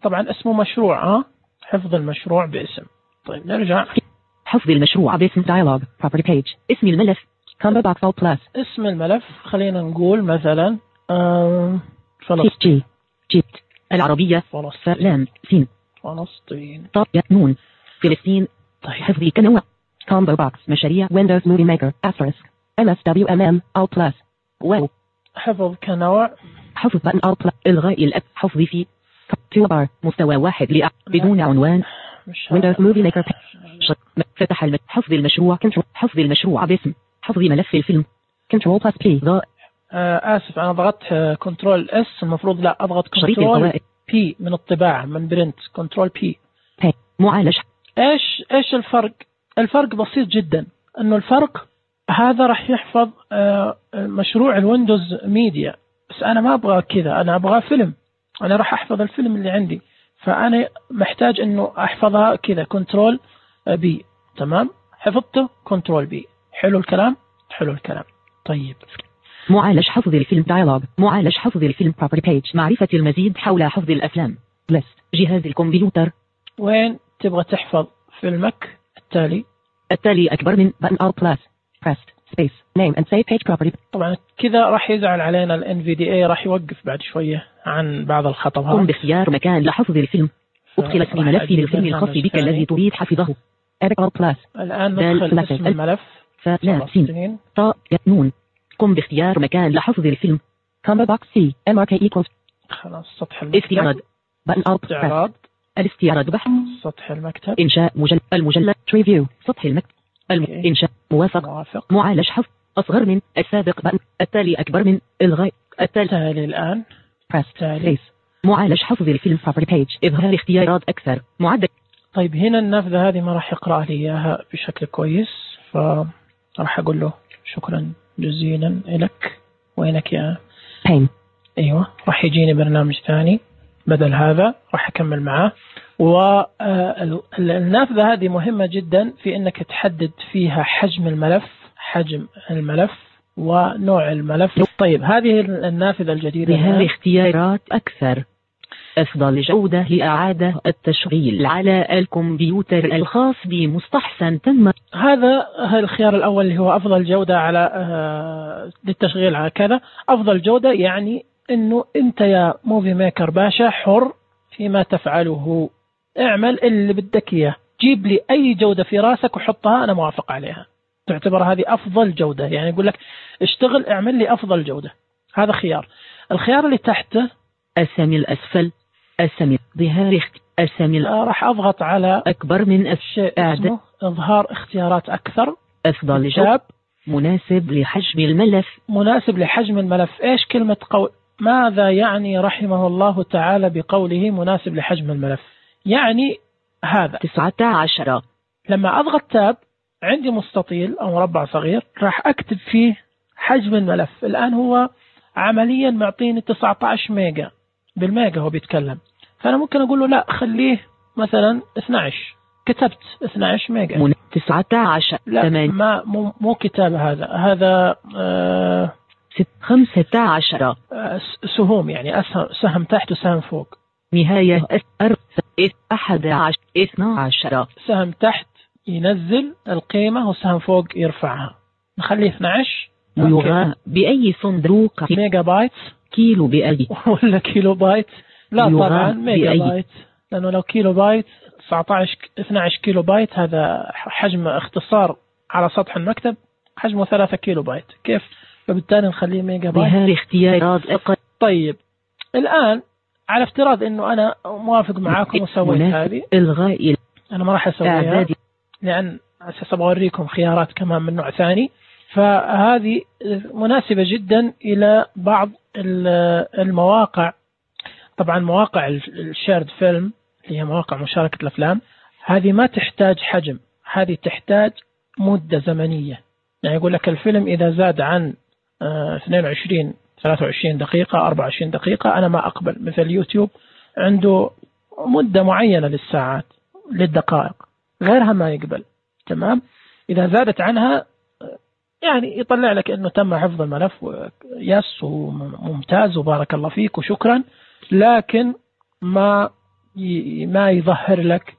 طبعا اسمه مشروع ها حفظ المشروع باسم. طيب نرجع. حفظ المشروع باسم دايلوج property page. اسم الملف combo box all plus. اسم الملف خلينا نقول مثلا فلسطين. جيت العربية فلسطين سين فلسطين طب نون فلسطين. طيب حفظي كنوع combo box مشاريع Windows Movie Maker asterisk M S W M M all plus. واو حفظ كنوع. حفظ بutton all plus. إلغاء الأب. حفظ في toolbar مستوى واحد لأ بدون عنوان Windows Movie Maker. فتح الم... حفظ المشروع كنترول. حفظ المشروع باسم. حفظ ملف الفيلم كنترول بلس بي. آه آسف أنا ضغطت كنترول اس المفروض لا أضغط كنترول بي من الطباعة من برنت كنترول بي. معالج. إيش إيش الفرق؟ الفرق بسيط جدا إنه الفرق هذا راح يحفظ آه مشروع الويندوز ميديا، بس أنا ما أبغى كذا، أنا أبغى فيلم، أنا راح أحفظ الفيلم اللي عندي، فأنا محتاج إنه أحفظها كذا كنترول بي. تمام حفظته كنترول بي. حلو الكلام حلو الكلام. طيب معالج حفظ الفيلم دايلوج. معالج حفظ الفيلم property page. معرفة المزيد حول حفظ الأفلام list. جهاز الكمبيوتر. وين تبغى تحفظ فيلمك؟ التالي التالي أكبر من button all plus pressed space name and save page property. طبعا كذا راح يزعل علينا ال إن في دي إيه، راح يوقف بعد شوية عن بعض الخطأ. قم باختيار مكان لحفظ الفيلم. ادخل اسم ملف للفيلم الخاص بك الذي تريد حفظه. edit all plus. الآن ندخل اسم الملف فلسطين طاء نون. قم باختيار مكان لحفظ الفيلم. combo box C M R K equals. خلاص سطح المكتب. استعراض button all استعراض. الاستعراض بحث. سطح المكتب. إنشاء مجلد. المجلد ريفيو. سطح المكتب. الم... إنشاء موافق. موافق. معالج حفظ أصغر من السابق button. التالي أكبر من إلغاء التالي. التالي الآن press space. معالج حفظ الفيلم property page. إظهار اختيارات أكثر معدل. طيب هنا النافذة هذه ما راح يقرأ لي إياها بشكل كويس، فراح أقول له شكرا جزيلا لك. وينك يا pain؟ أيوة راح يجيني برنامج ثاني بدل هذا راح أكمل معاه. والنافذة هذه مهمة جدا في أنك تحدد فيها حجم الملف. حجم الملف ونوع الملف. طيب هذه النافذة الجديدة بها اختيارات أكثر. أفضل جودة لإعادة التشغيل على الكمبيوتر الخاص بمستحسن تم. هذا الخيار الأول اللي هو أفضل جودة على آه للتشغيل على كذا. أفضل جودة يعني إنه أنت يا موفي ميكر باشا حر فيما تفعله، اعمل اللي بدك إياه، جيب لي أي جودة في راسك وحطها أنا موافق عليها. تعتبر هذه أفضل جودة، يعني يقول لك اشتغل اعمل لي أفضل جودة. هذا خيار. الخيار اللي تحته أسامي الأسفل، أسامي ظهار أسامي آه راح أضغط على أكبر من الشيء اسمه إظهار اختيارات أكثر. أفضل جودة مناسب لحجم الملف. مناسب لحجم الملف. إيش كلمة قول؟ ماذا يعني رحمه الله تعالى بقوله مناسب لحجم الملف؟ يعني هذا تسعة عشر. لما أضغط تاب عندي مستطيل أو مربع صغير راح أكتب فيه حجم الملف. الآن هو عمليا معطيني تسعة عشر ميجا بالميجا هو بيتكلم، فأنا ممكن أقول له لا خليه مثلا اثني عشر. كتبت اثني عشر ميجا. من تسعة عشر. لا ما مو, مو كتاب هذا هذا آه خمسة عشر. آه سهم يعني أسهم سهم تحت وسهم فوق. نهاية أحد عشر اثنى عشر. سهم تحت ينزل القيمة وسهم فوق يرفعها. نخليه اثني عشر. يغى بأي صندوق ميجا بايت كيلو بأي ولا كيلو بايت؟ لا طبعا ميجا بأي. بايت، لأنه لو كيلو بايت تسعة عشر اثني عشر كيلو بايت هذا حجم اختصار على سطح المكتب حجمه ثلاثة كيلو بايت. كيف؟ فبالتالي نخليه ميجا بايت. بها اختيارات أقل. طيب الآن على افتراض انه انا موافق معاكم وسويت هذه الغاء، انا ما راح اسويها لان اساس اوريكم خيارات كمان من نوع ثاني. فهذه مناسبة جدا الى بعض المواقع. طبعا مواقع الشيرد فيلم اللي هي مواقع مشاركة الافلام هذه ما تحتاج حجم، هذه تحتاج مدة زمنية. يعني يقول لك الفيلم اذا زاد عن اثنين وعشرين ثلاثة وعشرين دقيقة أربعة وعشرين دقيقة أنا ما أقبل. مثل يوتيوب عنده مدة معينة للساعات للدقائق، غيرها ما يقبل. تمام. إذا زادت عنها يعني يطلع لك أنه تم حفظ الملف يس وممتاز وبارك الله فيك وشكرا، لكن ما ما يظهر لك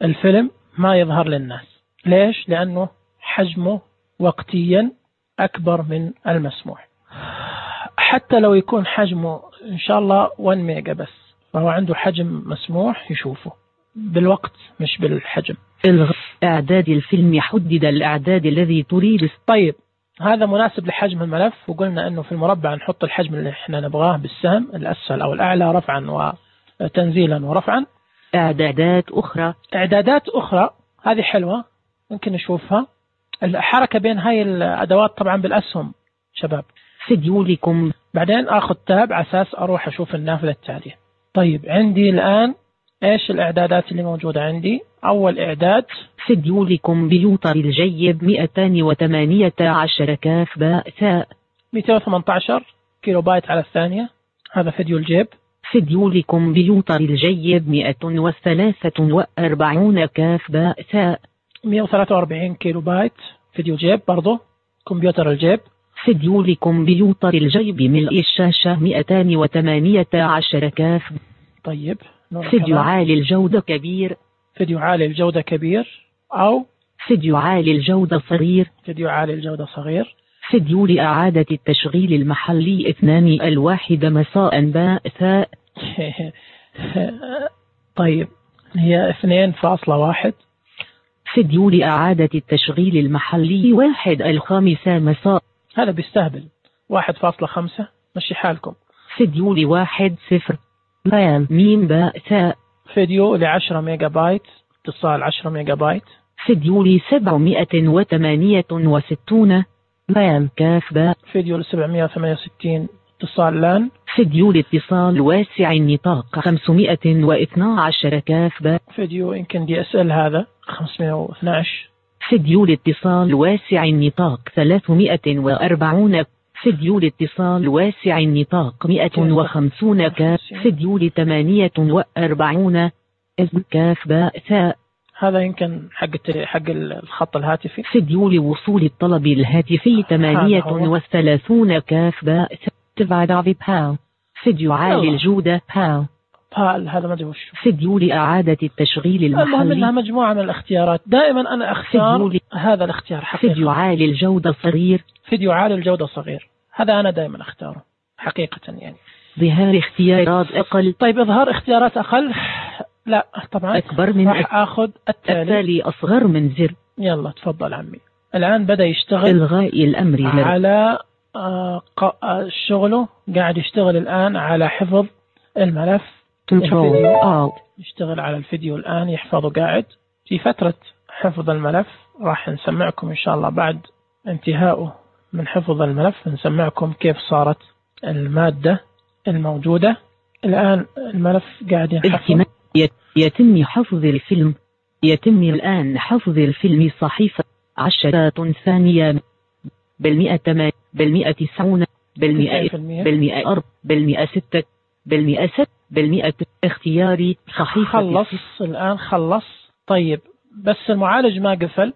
الفيلم، ما يظهر للناس. ليش؟ لأنه حجمه وقتيا أكبر من المسموح. حتى لو يكون حجمه إن شاء الله واحد ميجا بس، فهو عنده حجم مسموح يشوفه بالوقت مش بالحجم. إعداد الفيلم حدد الإعداد الذي تريد. طيب هذا مناسب لحجم الملف، وقلنا أنه في المربع نحط الحجم اللي احنا نبغاه بالسهم الأسفل أو الأعلى رفعا وتنزيلا ورفعا. إعدادات أخرى. إعدادات أخرى هذه حلوة ممكن نشوفها. الحركة بين هاي الأدوات طبعا بالأسهم شباب. فيديو لكم. بعدين أخذ تاب على أساس أروح أشوف النافذة التالية. طيب عندي الآن إيش الإعدادات اللي موجودة عندي؟ أول إعداد فيديو لكمبيوتر الجيب مئتين وثمانية عشر كاف باء ثاء. مئتين وثمانية عشر كيلو بايت على الثانية، هذا فيديو الجيب. فيديو لكمبيوتر الجيب مئة وثلاثة وأربعون كاف باء ثاء. مئة وثلاثة وأربعين كيلو بايت فيديو جيب برضو كمبيوتر الجيب. فيديو لكمبيوتر الجيب ملء الشاشة مئتين وثمانية عشر كاف. طيب فيديو عالي الجودة كبير. فيديو عالي الجودة كبير أو فيديو عالي الجودة صغير. فيديو عالي الجودة صغير. فيديو لإعادة التشغيل المحلي اثنان الواحد مساء باء ثاء. طيب هي اثنين فاصلة واحد. فيديو لإعادة التشغيل المحلي واحد الخامسة مساء. هذا بيستهبل. واحد فاصلة خمسة مشي حالكم. فيديو لواحد صفر بيان ميم باء ثاء. فيديو لعشرة ميجا بايت اتصال عشرة ميجا بايت. فيديو لسبعمائة وثمانية وستون بيان كاف باء. فيديو لسبعمائة وثمانية وستين اتصال لان. فيديو لاتصال واسع النطاق خمسمائة واثني عشر كاف باء. فيديو يمكن دي اس ال هذا خمسمائة واثني عشر. فيديو لاتصال واسع النطاق ثلاثمائة وأربعون. فيديو لاتصال واسع النطاق مئة وخمسون كاف. فيديو لثمانية وأربعون كاف باء ثاء. هذا يمكن حق حق الخط الهاتفي. فيديو لوصول الطلب الهاتفي ثمانية وثلاثون كاف باء باو. فيديو عالي الجودة باو. بال هذا ما ادري وش. فيديو لإعادة التشغيل المحلي. المهم انها مجموعة من الاختيارات. دائما انا اختار ل... هذا الاختيار حقيقة. فيديو عالي الجودة صغير. فيديو عالي الجودة صغير هذا انا دائما اختاره حقيقة يعني. ظهار اختيارات اقل. طيب اظهار اختيارات اقل لا طبعا اكبر من راح اخذ التالي. التالي اصغر من زر. يلا تفضل عمي. الان بدأ يشتغل الغاء الامر على آه شغله قاعد يشتغل الان على حفظ الملف. كنترول يشتغل على الفيديو الآن يحفظه قاعد في فترة حفظ الملف. راح نسمعكم إن شاء الله بعد انتهائه من حفظ الملف نسمعكم كيف صارت المادة الموجودة. الآن الملف قاعد ينحفظ. يتم حفظ الفيلم. يتم الآن حفظ الفيلم صحيفة عشرات ثانية بالمئة بالمئة تسعون بالمئة بالمئة أرب بالمئة ستة بالمئة ست بالمئة. اختياري صحيفة. خلص الآن خلص. طيب بس المعالج ما قفل.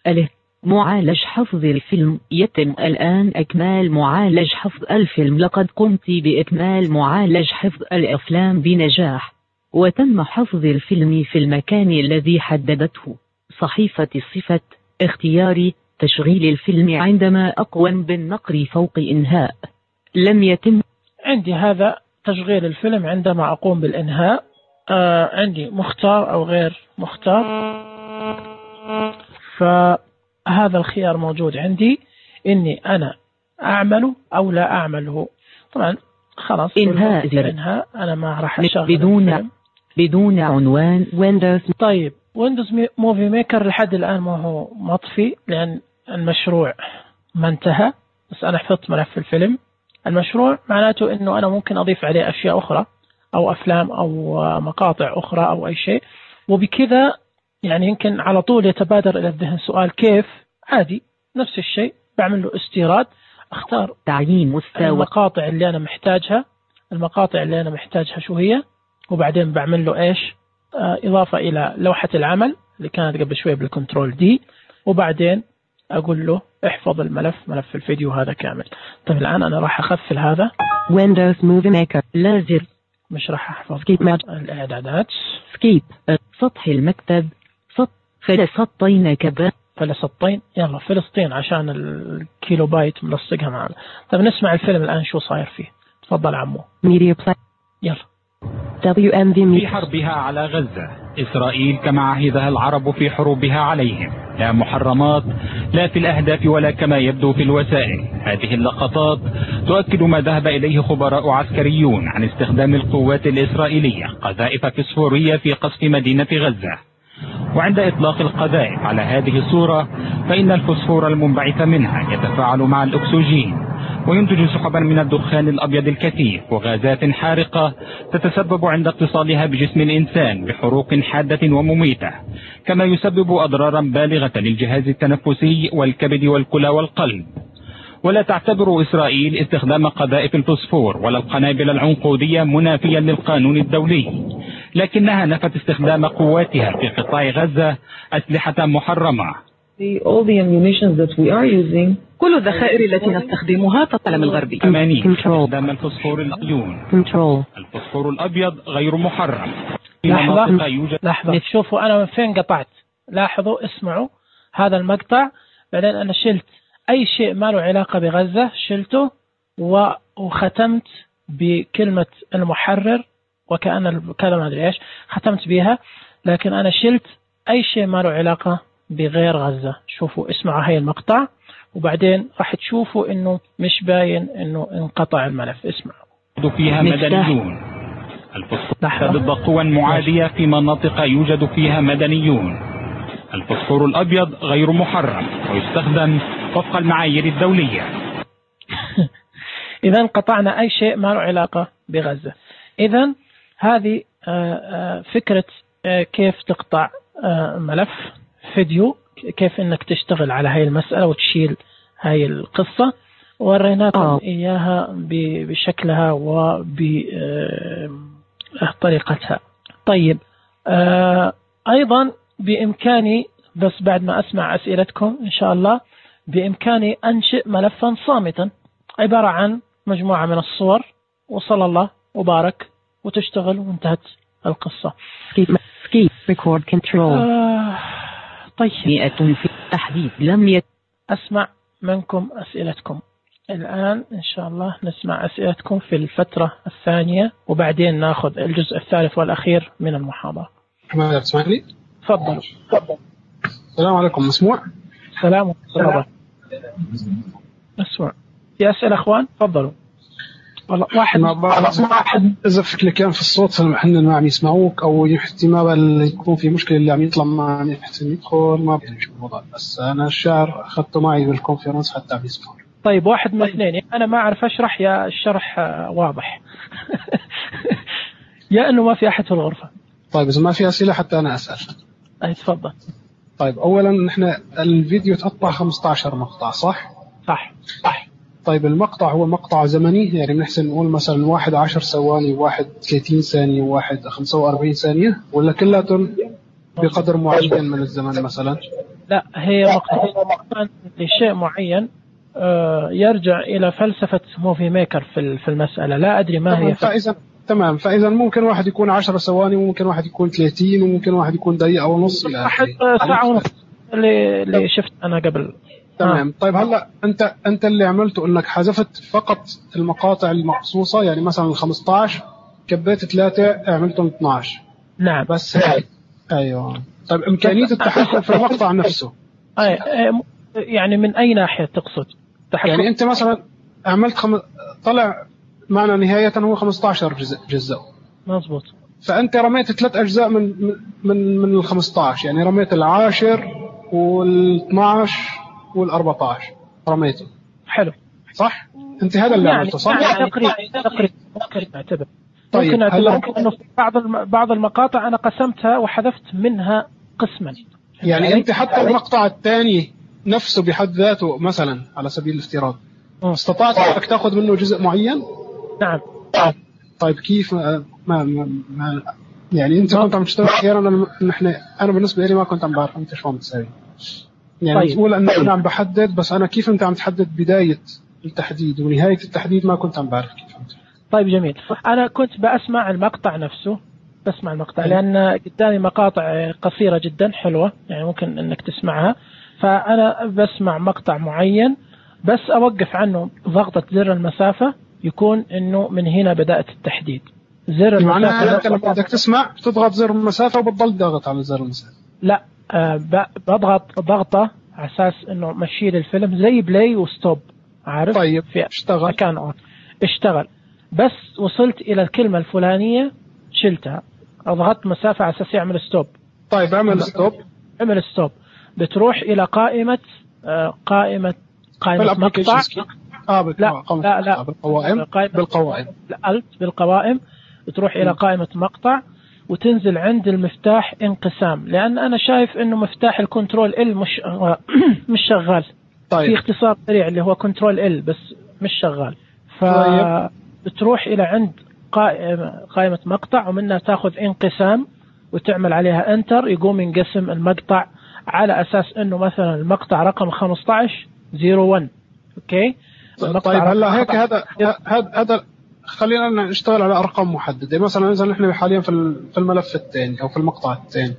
أله معالج حفظ الفيلم. يتم الآن إكمال معالج حفظ الفيلم. لقد قمت بإكمال معالج حفظ الأفلام بنجاح وتم حفظ الفيلم في المكان الذي حددته صحيفة الصفة. اختياري تشغيل الفيلم عندما أقوم بالنقر فوق إنهاء. لم يتم. عندي هذا تشغيل الفيلم عندما أقوم بالإنهاء. آه عندي مختار أو غير مختار. فهذا الخيار موجود عندي إني أنا أعمله أو لا أعمله. طبعا خلاص إنهاء. إنهاء أنا ما راح أشغل بدون الفيلم. بدون عنوان ويندوز. طيب ويندوز موفي ميكر لحد الآن ما هو مطفي لأن المشروع ما انتهى. بس أنا حفظت ملف الفيلم. المشروع معناته إنه أنا ممكن أضيف عليه أشياء أخرى أو أفلام أو مقاطع أخرى أو أي شيء. وبكذا يعني يمكن على طول يتبادر إلى الذهن سؤال كيف. عادي نفس الشيء بعمل له استيراد. أختار تعيين مستوى المقاطع اللي أنا محتاجها. المقاطع اللي أنا محتاجها شو هي. وبعدين بعمل له إيش آه إضافة إلى لوحة العمل اللي كانت قبل شوي بالكنترول دي. وبعدين أقول له احفظ الملف ملف الفيديو هذا كامل. طيب الآن أنا راح أخفل هذا Windows Movie Maker. لازر مش راح أحفظ الإعدادات. سكيب سطح المكتب. سط فلسطين كذا فلسطين. يلا فلسطين عشان الكيلو بايت ملصقها معنا. طيب نسمع الفيلم الآن شو صاير فيه. تفضل عمو. ميديا بلاي. يلا. دبليو إم في في حربها على غزة إسرائيل كما عهدها العرب في حروبها عليهم لا محرمات لا في الأهداف ولا كما يبدو في الوسائل. هذه اللقطات تؤكد ما ذهب إليه خبراء عسكريون عن استخدام القوات الإسرائيلية قذائف فسفورية في قصف مدينة غزة. وعند إطلاق القذائف على هذه الصورة فإن الفسفور المنبعث منها يتفاعل مع الأكسجين وينتج سحبا من الدخان الأبيض الكثيف وغازات حارقة تتسبب عند اتصالها بجسم الإنسان بحروق حادة ومميتة كما يسبب أضرارا بالغة للجهاز التنفسي والكبد والكلى والقلب. ولا تعتبر إسرائيل استخدام قذائف الفسفور ولا القنابل العنقودية منافيا للقانون الدولي، لكنها نفت استخدام قواتها في قطاع غزة أسلحة محرمة. كل الذخائر التي نستخدمها في العالم الغربي. ثمانية استخدام الفسفور الأيون. الفسفور الأبيض غير محرم. لحظة لحظة شوفوا أنا من فين قطعت. لاحظوا اسمعوا هذا المقطع. بعدين أنا شلت أي شيء ما له علاقة بغزة شلته وختمت بكلمة المحرر وكأن كذا ما أدري إيش ختمت بها. لكن أنا شلت أي شيء ما له علاقة بغير غزة. شوفوا اسمعوا هاي المقطع وبعدين راح تشوفوا إنه مش باين إنه انقطع الملف. اسمعوا. فيها مدنيون. الفسفور ضد قوى معادية في مناطق يوجد فيها مدنيون. الفسفور الأبيض غير محرم ويستخدم وفق المعايير الدولية. إذا قطعنا أي شيء ما له علاقة بغزة. إذا هذه فكرة كيف تقطع ملف فيديو، كيف إنك تشتغل على هاي المسألة وتشيل هاي القصة. وريناكم إياها بشكلها وبطريقتها. طيب أيضا بإمكاني بس بعد ما أسمع أسئلتكم إن شاء الله بإمكاني أنشئ ملفا صامتا عبارة عن مجموعة من الصور وصلى الله وبارك وتشتغل وانتهت القصة. Record control. آه طيب مئة في التحديد لم يت... أسمع منكم أسئلتكم الآن إن شاء الله. نسمع أسئلتكم في الفترة الثانية وبعدين نأخذ الجزء الثالث والأخير من المحاضرة. ما تسمعني؟ تفضل. السلام عليكم. مسموع؟ سلام عليكم. مسموع. في أسئلة أخوان؟ تفضلوا. والله واحد واحد إذا في كليكان في الصوت فالمحنن ما عم يسمعوك أو احتمال يكون في مشكلة اللي عم يطلع ما عم يحسن يدخل ما بيعرف شو الوضع. بس أنا الشعر أخذته معي بالكونفرنس حتى عم يسمعوا. طيب واحد من اثنين، أنا ما أعرف أشرح يا الشرح واضح يا إنه ما في أحد في الغرفة. طيب إذا ما في أسئلة حتى أنا أسأل. أي تفضل. طيب أولا نحن الفيديو تقطع خمسة عشر مقطع صح؟ صح صح. طيب المقطع هو مقطع زمني يعني بنحسن نقول مثلا واحد عشر ثواني وواحد ثلاثين ثانية وواحد خمسة وأربعين ثانية ولا كلاتهم بقدر معين من الزمن مثلا؟ لا هي مقطع لشيء معين يرجع إلى فلسفة موفي ميكر في في المسألة. لا أدري ما هي. فإذا تمام فإذا ممكن واحد يكون عشر ثواني وممكن واحد يكون ثلاثين وممكن واحد يكون دقيقة ونص إلى واحد ساعة ونص اللي اللي شفت أنا قبل. تمام. آه. طيب هلا أنت أنت اللي عملته إنك حذفت فقط المقاطع المقصوصة يعني مثلا ال خمسة عشر كبيت ثلاثة عملتهم اثنا عشر. نعم بس هيك. أيوة. طيب إمكانية التحكم في المقطع نفسه. أي يعني من أي ناحية تقصد؟ تحكم. يعني أنت مثلا عملت خم... طلع معنا نهاية هو خمسة عشر جزء جزء. مظبوط. فأنت رميت ثلاث أجزاء من من من ال خمسة عشر يعني رميت العاشر والاثنا عشر والأربعة عشر رميته. حلو. صح؟ أنت هذا اللي يعني عملته صح؟ يعني تقريبا تقريبا ممكن نعتبر. طيب ممكن نعتبر ممكن إنه في بعض الم... بعض المقاطع أنا قسمتها وحذفت منها قسما. يعني, يعني أنت حتى المقطع الثاني نفسه بحد ذاته مثلا على سبيل الافتراض استطعت أنك تأخذ منه جزء معين؟ نعم. طيب كيف ما, ما, ما يعني أنت كنت عم تشتغل أحيانا نحن أنا بالنسبة لي ما كنت عم بعرف أنت شو عم تسوي. يعني طيب. تقول أن أنا عم بحدد بس أنا كيف أنت عم تحدد بداية التحديد ونهاية التحديد ما كنت عم بعرف كيف أنت. طيب جميل. أنا كنت بأسمع المقطع نفسه بسمع المقطع لأن قدامي مقاطع قصيرة جدا حلوة يعني ممكن أنك تسمعها. فأنا بسمع مقطع معين بس أوقف عنه ضغطة زر المسافة يكون إنه من هنا بدأت التحديد. زر المسافة أنت لما بدك تسمع بتضغط زر المسافة وبتضل ضغط على زر المسافة. لا أه بضغط ضغطة على أساس إنه مشي الفيلم زي بلاي وستوب عارف. طيب في اشتغل. مكان اشتغل بس وصلت إلى الكلمة الفلانية شلتها أضغط مسافة على أساس يعمل ستوب. طيب عمل ستوب. عمل ستوب بتروح إلى قائمة آه قائمة قائمة مقطع. آه لا لا لا بالقوائم بالقوائم الألت بالقوائم بتروح إلى قائمة مقطع وتنزل عند المفتاح انقسام لأن أنا شايف إنه مفتاح الكنترول ال مش مش شغال. طيب. في اختصار سريع اللي هو كنترول ال بس مش شغال. فبتروح إلى عند قائمة قائمة مقطع ومنها تأخذ انقسام وتعمل عليها انتر يقوم ينقسم المقطع على أساس إنه مثلا المقطع رقم خمسة عشر صفر واحد. أوكي. طيب هلا هيك هذا هذا هذا خلينا نشتغل على أرقام محددة مثلا إذا نحن حاليا في في الملف الثاني أو في المقطع الثاني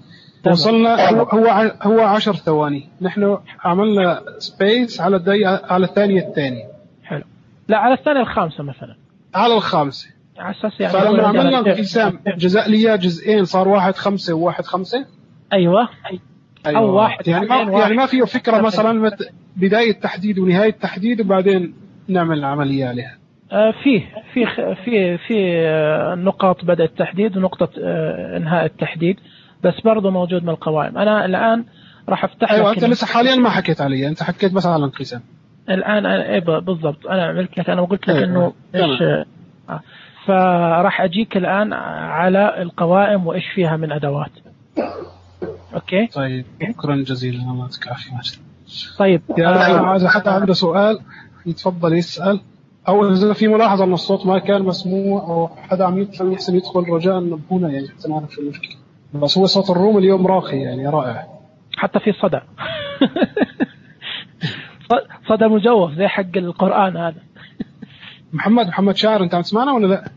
وصلنا هو هو هو عشر ثواني نحن عملنا سبيس على الدقيقة على الثانية الثانية. حلو. لا على الثانية الخامسة مثلا. على الخامسة. على أساس يعني. فلما عملنا انقسام جزء ليا جزئين صار واحد خمسة وواحد خمسة. أيوة. أيوة. أو واحد يعني ما يعني ما فيه فكرة مثلا بداية تحديد ونهاية تحديد وبعدين نعمل العملية عليها. آه فيه في في في آه نقاط بدء التحديد ونقطة آه انهاء التحديد بس برضه موجود من القوائم. أنا الآن راح أفتح. أيوة أنت لسه حاليا ما حكيت عليه أنت حكيت بس على الانقسام. الآن أنا إيه بالضبط أنا عملت لك أنا قلت لك أيوة. إنه إيش آه فراح أجيك الآن على القوائم وإيش فيها من أدوات. أوكي. طيب شكرا جزيلا الله يعطيك العافية. طيب آه إذا حتى عنده سؤال يتفضل يسأل أو إذا في ملاحظة أن الصوت ما كان مسموع أو حدا عم يدخل يحسن يدخل رجاء نبهونا يعني حتى نعرف شو المشكلة. بس هو صوت الروم اليوم راقي يعني رائع، حتى في صدى صدى مجوف زي حق القرآن هذا. محمد محمد شاعر أنت عم تسمعنا ولا لا؟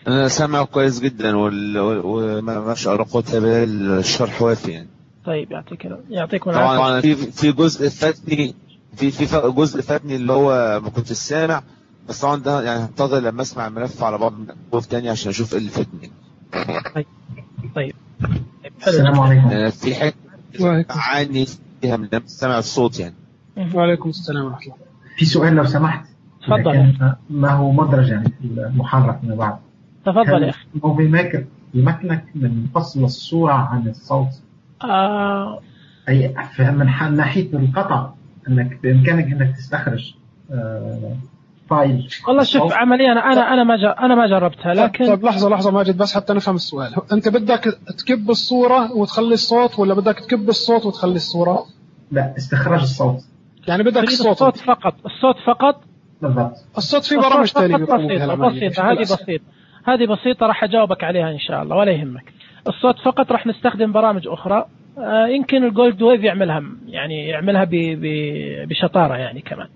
أنا سامع كويس جدا وما شاء الله قلت الشرح وافي يعني. طيب يعطيك يعطيكم العافية. طبعا في في جزء فاتني في في جزء فاتني اللي هو ما كنت سامع، بس طبعا ده يعني هنتظر لما اسمع الملف على بعض من تاني عشان اشوف ايه اللي فاتني. طيب طيب السلام عليكم. في حاجة عاني فيها من سمع الصوت يعني. وعليكم السلام ورحمة الله. في سؤال لو سمحت. تفضل. ما هو مدرج يعني في المحرك من بعض. تفضل يا أخي. موفي ميكر يمكنك من فصل الصورة عن الصوت. آه. أي من ناحية القطع أنك بإمكانك أنك تستخرج آه فايل. والله شوف عمليا أنا أنا أنا ما جا أنا ما جربتها لكن. طيب لحظة لحظة ماجد بس حتى نفهم السؤال. أنت بدك تكب الصورة وتخلي الصوت ولا بدك تكب الصوت وتخلي الصورة؟ لا استخراج الصوت. يعني بدك الصوت. الصوت فقط الصوت فقط. بالضبط. الصوت في برامج ثانية بسيطة بسيطة هذه بسيطة هذه بسيطة راح أجاوبك عليها إن شاء الله ولا يهمك. الصوت فقط راح نستخدم برامج أخرى آه يمكن الجولد ويف يعملها يعني يعملها ب ب بشطارة يعني كمان.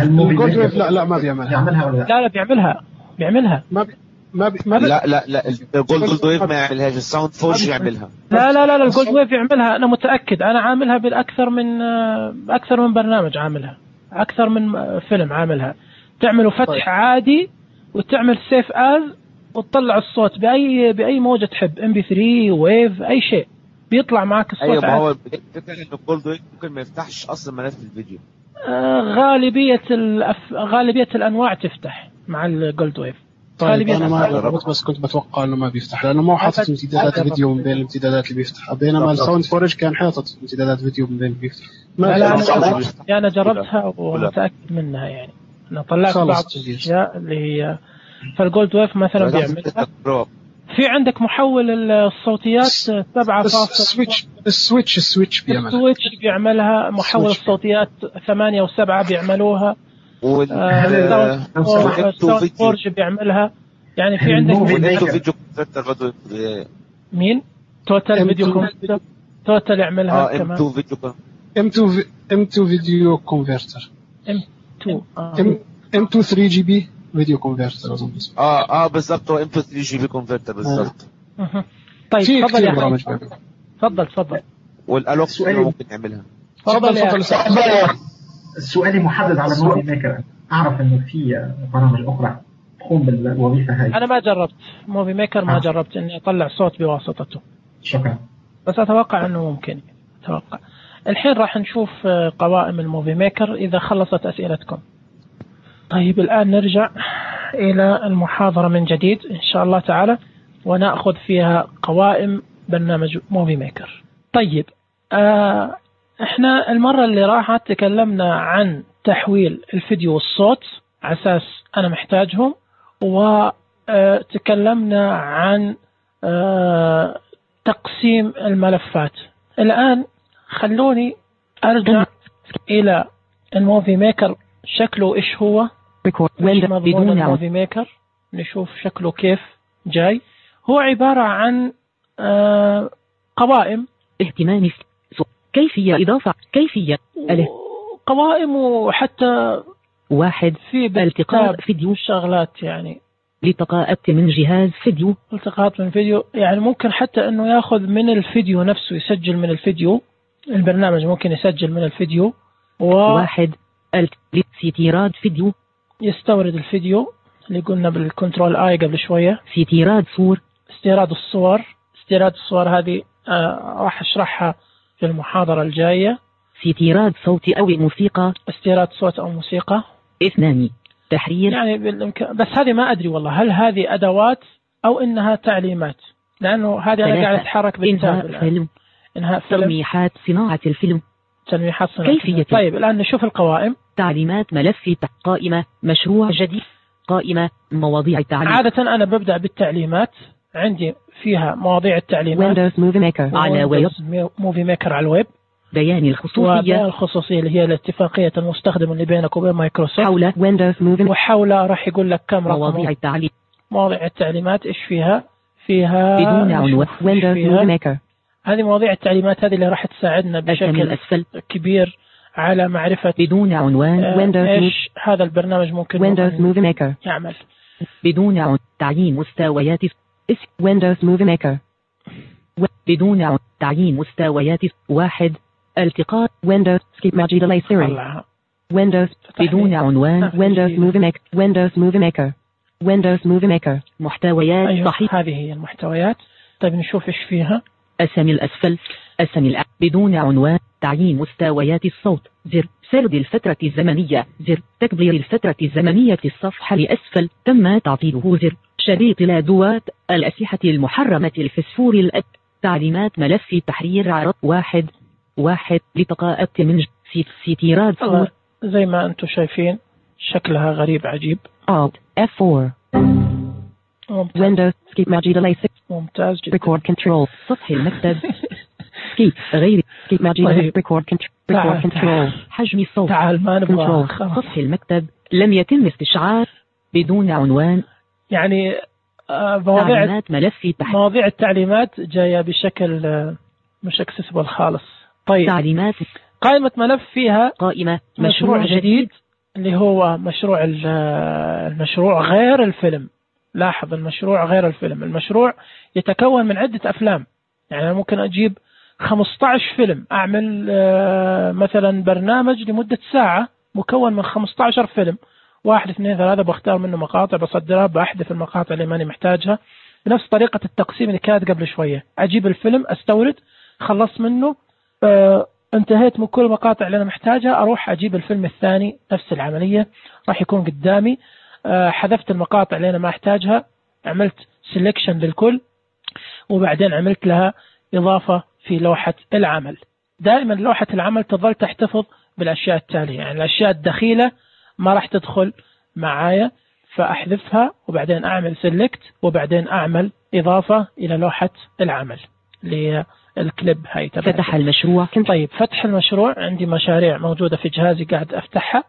الجولد ويف لا لا ما بيعملها. يعملها ولا لا؟ لا لا بيعملها بيعملها. ما بي ما بي ما بي لا لا لا الجولد ويف ما يعملهاش، الساوند فورج يعملها. لا لا لا الجولد ويف يعملها أنا متأكد، أنا عاملها بالأكثر من أكثر من برنامج عاملها، أكثر من فيلم عاملها. تعمله فتح طيب. عادي وتعمل سيف آز وتطلع الصوت بأي بأي موجة تحب إم بي ثري ويف أي شيء بيطلع معك الصوت. أيوة ما هو الفكرة إن الجولد ويف ممكن ما يفتحش أصلا ملف الفيديو. آه غالبية الأف... غالبية الأنواع تفتح مع الجولد ويف. طيب غالبية أنا ما جربت بس كنت بتوقع إنه ما بيفتح لأنه ما حاطط امتدادات الفيديو من بين الامتدادات اللي بيفتح، بينما الساوند فورج كان حاطط امتدادات فيديو من بين اللي بيفتح. لا لا أنا, أنا جربتها ومتأكد منها يعني. أنا طلعت بعض الأشياء اللي هي فالجولد ويف مثلا بيعملها. في عندك محول الصوتيات سبعة فاصلة السويتش السويتش السويتش بيعملها. السويتش بيعملها محول الصوتيات ثمانية وسبعة بيعملوها. والساوند فورج بيعملها يعني. في عندك فيديو كونفرتر مين توتال فيديو كونفرتر توتال يعملها كمان. ام تو فيديو ام تو ام تو فيديو كونفرتر ام تو ام ام تو ثري جي بي فيديو كونفرتر اظن اسمه. اه اه بالضبط ام تو ثري جي بي كونفرتر بالضبط. آه. طيب تفضل يا اخي تفضل تفضل. والالوكس ممكن يعملها. تفضل تفضل. السؤال محدد على موفي ميكر. اعرف انه في برامج اخرى تقوم بالوظيفه هذه. انا ما جربت موفي ميكر ما آه. جربت اني اطلع صوت بواسطته. شكرا. بس اتوقع انه ممكن اتوقع. الحين راح نشوف قوائم الموفي ميكر اذا خلصت اسئلتكم. طيب الآن نرجع إلى المحاضرة من جديد إن شاء الله تعالى ونأخذ فيها قوائم برنامج موفي ميكر. طيب آه إحنا المرة اللي راحت تكلمنا عن تحويل الفيديو والصوت على أساس أنا محتاجهم، وتكلمنا عن آه تقسيم الملفات. الآن خلوني أرجع إلى الموفي ميكر شكله إيش هو بدون الموفي ميكر. نشوف شكله كيف جاي. هو عبارة عن آه قوائم اهتمام كيفية إضافة كيفية قوائم وحتى واحد في التقاط فيديو شغلات يعني التقاءات من جهاز فيديو التقاط من فيديو يعني ممكن حتى إنه يأخذ من الفيديو نفسه يسجل من الفيديو. البرنامج ممكن يسجل من الفيديو و... واحد استيراد فيديو يستورد الفيديو اللي قلنا بالكنترول آي قبل شوية. استيراد صور استيراد الصور استيراد الصور هذه آه راح أشرحها في المحاضرة الجاية. استيراد صوت أو موسيقى استيراد صوت أو موسيقى. اثنان تحرير يعني بالإمكان بس هذه ما أدري والله هل هذه أدوات أو إنها تعليمات لأنه هذه أنا قاعد أتحرك بالتاب. إنهاء فيلم إنهاء فيلم تلميحات صناعة الفيلم تلميحات صناعة كيفية. طيب الآن نشوف القوائم. تعليمات ملف قائمة مشروع جديد قائمة مواضيع التعليم. عادة أنا ببدأ بالتعليمات عندي فيها مواضيع التعليمات Windows Movie Maker على ويب موفي ميكر على الويب. بيان الخصوصية وبيان الخصوصية اللي هي الاتفاقية المستخدم اللي بينك وبين مايكروسوفت. حول Windows Movie وحول راح يقول لك كم رقم مواضيع التعليم. مواضيع التعليمات إيش فيها فيها بدون عنوان ويندوز موفي ميكر. هذه مواضيع التعليمات هذه اللي راح تساعدنا بشكل كبير على معرفة بدون عنوان آه ايش هذا البرنامج ممكن ويندوز موفي ميكر يعمل. بدون عنوان تعيين مستويات اسم ويندوز موفي ميكر. بدون عنوان تعيين مستويات واحد التقاط ويندوز سكيب ماجي ديلي سيري ويندوز بدون عنوان ويندوز موفي ميكر ويندوز موفي ميكر ويندوز موفي ميكر محتويات أيوة صحيح. هذه هي المحتويات. طيب نشوف ايش فيها. أسامي الأسفل أسامي الأ... بدون عنوان تعيين مستويات الصوت زر سرد الفترة الزمنية زر تكبير الفترة الزمنية الصفحة لأسفل تم تعطيله زر شريط الأدوات الأسلحة المحرمة الفسفور الأد تعليمات ملف تحرير عرض واحد واحد لتقاءة من ستيراد فور زي ما أنتم شايفين شكلها غريب عجيب. Alt إف فور Windows Skip Magic Delay ممتاز جدا. Record Control سطح المكتب Skip غير Skip Magic طيب. Record Control Record Control حجم الصوت تعال ما نبغى سطح المكتب لم يتم استشعار بدون عنوان يعني آه مواضيع ملف مواضيع التعليمات جاية بشكل آه مش اكسسبل خالص. طيب تعليمات قائمة ملف فيها قائمة مشروع, مشروع جديد اللي هو مشروع المشروع غير الفيلم. لاحظ المشروع غير الفيلم. المشروع يتكون من عدة أفلام. يعني أنا ممكن أجيب خمسة عشر فيلم أعمل مثلا برنامج لمدة ساعة مكون من خمسة عشر فيلم واحد اثنين ثلاثة بختار منه مقاطع بصدرها بأحذف المقاطع اللي ماني محتاجها بنفس طريقة التقسيم اللي كانت قبل شوية. أجيب الفيلم أستورد خلص منه أه انتهيت من كل المقاطع اللي أنا محتاجها أروح أجيب الفيلم الثاني نفس العملية راح يكون قدامي. أه حذفت المقاطع اللي أنا ما أحتاجها عملت سيلكشن للكل وبعدين عملت لها إضافة في لوحة العمل. دائما لوحة العمل تظل تحتفظ بالأشياء التالية. يعني الأشياء الدخيلة ما راح تدخل معايا فأحذفها وبعدين أعمل سيلكت وبعدين أعمل إضافة إلى لوحة العمل للكليب هاي. فتح المشروع. طيب فتح المشروع عندي مشاريع موجودة في جهازي قاعد أفتحها.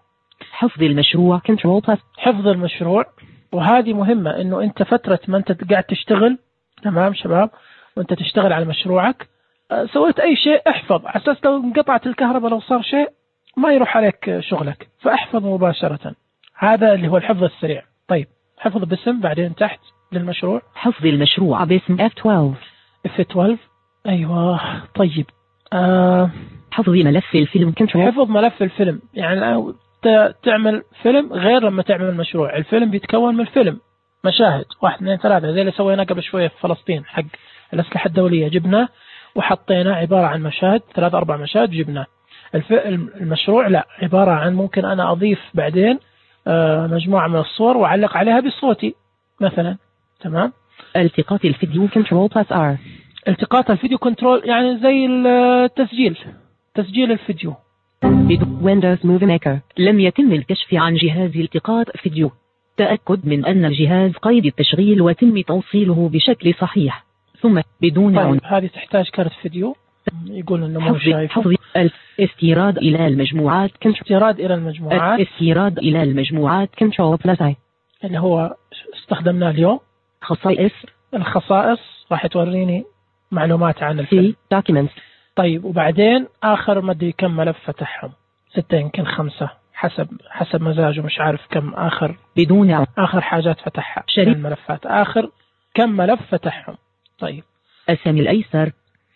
حفظ المشروع كنترول بلس. حفظ المشروع وهذه مهمة إنه أنت فترة ما أنت قاعد تشتغل تمام شباب وأنت تشتغل على مشروعك سويت أي شيء احفظ على أساس لو انقطعت الكهرباء لو صار شيء ما يروح عليك شغلك فاحفظ مباشرة. هذا اللي هو الحفظ السريع. طيب حفظ باسم بعدين تحت للمشروع. حفظ المشروع باسم إف اثنا عشر. إف اثنا عشر أيوة. طيب آه حفظ ملف الفيلم كنترول. حفظ ملف الفيلم يعني تعمل فيلم غير لما تعمل مشروع. الفيلم بيتكون من فيلم مشاهد واحد اثنين ثلاثة زي اللي سويناه قبل شوية في فلسطين حق الأسلحة الدولية جبناه وحطينا عبارة عن مشاهد ثلاث أربع مشاهد جبناه. المشروع لا عبارة عن ممكن أنا أضيف بعدين مجموعة من الصور وأعلق عليها بصوتي مثلا. تمام. التقاط الفيديو كنترول بلس آر. التقاط الفيديو كنترول يعني زي التسجيل تسجيل الفيديو. ويندوز موفي ميكر. لم يتم الكشف عن جهاز التقاط فيديو. تأكد من أن الجهاز قيد التشغيل وتم توصيله بشكل صحيح ثم بدون طيب عن... هذه تحتاج كارت فيديو يقول انه مو شايف. حفظ الاستيراد الى المجموعات استيراد الى المجموعات الاستيراد الى المجموعات كنترول بلس اي اللي هو استخدمناه اليوم. خصائص. الخصائص راح توريني معلومات عن الفيلم. documents. طيب وبعدين اخر ما ادري كم ملف فتحهم ستة يمكن خمسة حسب حسب مزاجه مش عارف كم آخر بدون عن... آخر حاجات فتحها شريط الملفات آخر كم ملف فتحهم. طيب أسامي الأيسر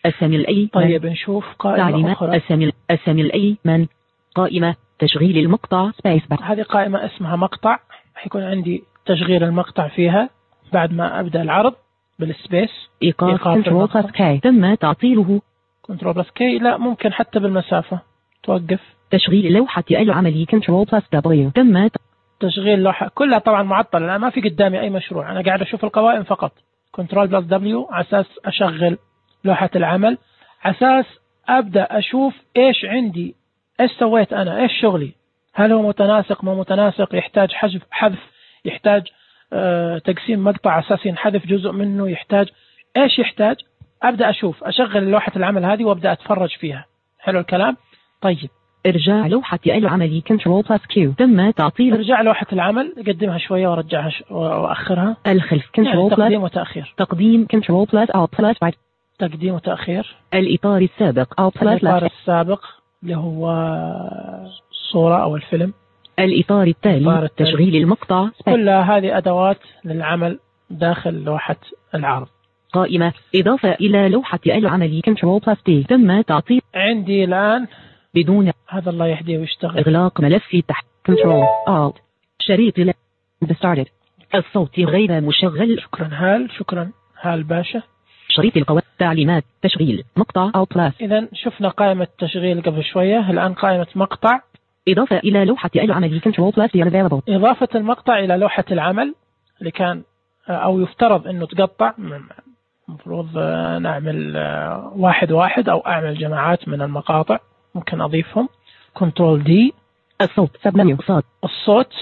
أسامي الأيمن. طيب نشوف قائمة أخرى. أسامي أسامي الأيمن قائمة تشغيل المقطع سبيس بار. هذه قائمة اسمها مقطع حيكون عندي تشغيل المقطع فيها بعد ما أبدأ العرض بالسبيس. إيقاف كنترول بلس كي تم تعطيله. كنترول بلس كي لا ممكن حتى بالمسافة توقف. تشغيل لوحة العملي كنترول بلس دبليو تم تشغيل لوحة كلها طبعا معطلة أنا ما في قدامي أي مشروع أنا قاعد أشوف القوائم فقط. كنترول بلس دبليو على أساس أشغل لوحة العمل على أساس أبدأ أشوف إيش عندي إيش سويت أنا إيش شغلي هل هو متناسق مو متناسق يحتاج حذف حذف يحتاج آه تقسيم مقطع على أساس ينحذف جزء منه يحتاج إيش يحتاج أبدأ أشوف أشغل لوحة العمل هذه وأبدأ أتفرج فيها. حلو الكلام. طيب إرجاع لوحة العمل كنترول بلس كيو. تم تعطيل إرجاع لوحة العمل، أقدمها شوية وأرجعها ش... وأخرها. الخلف كنترول يعني بلس تقديم وتأخير. تقديم كنترول بلس أو بلس بعد. تقديم وتأخير. الإطار السابق أو بلس. الإطار السابق اللي هو الصورة أو الفيلم. الإطار التالي تشغيل المقطع. كل هذه أدوات للعمل داخل لوحة العرض. قائمة إضافة إلى لوحة العمل كنترول بلس تي. تم تعطيل. عندي الآن بدون هذا الله يهديه ويشتغل. إغلاق ملف تحت كنترول آلت شريط ل started. الصوت غير مشغل. شكرا هال شكرا هال باشا. شريط القوائم تعليمات تشغيل مقطع أو بلس. إذا شفنا قائمة تشغيل قبل شوية، الآن قائمة مقطع. إضافة إلى لوحة العمل كنترول بلس available. إضافة المقطع إلى لوحة العمل اللي كان أو يفترض إنه تقطع. المفروض نعمل واحد واحد أو أعمل جماعات من المقاطع، ممكن أضيفهم. كنترول دي. الصوت سبمنيو صوت. الصوت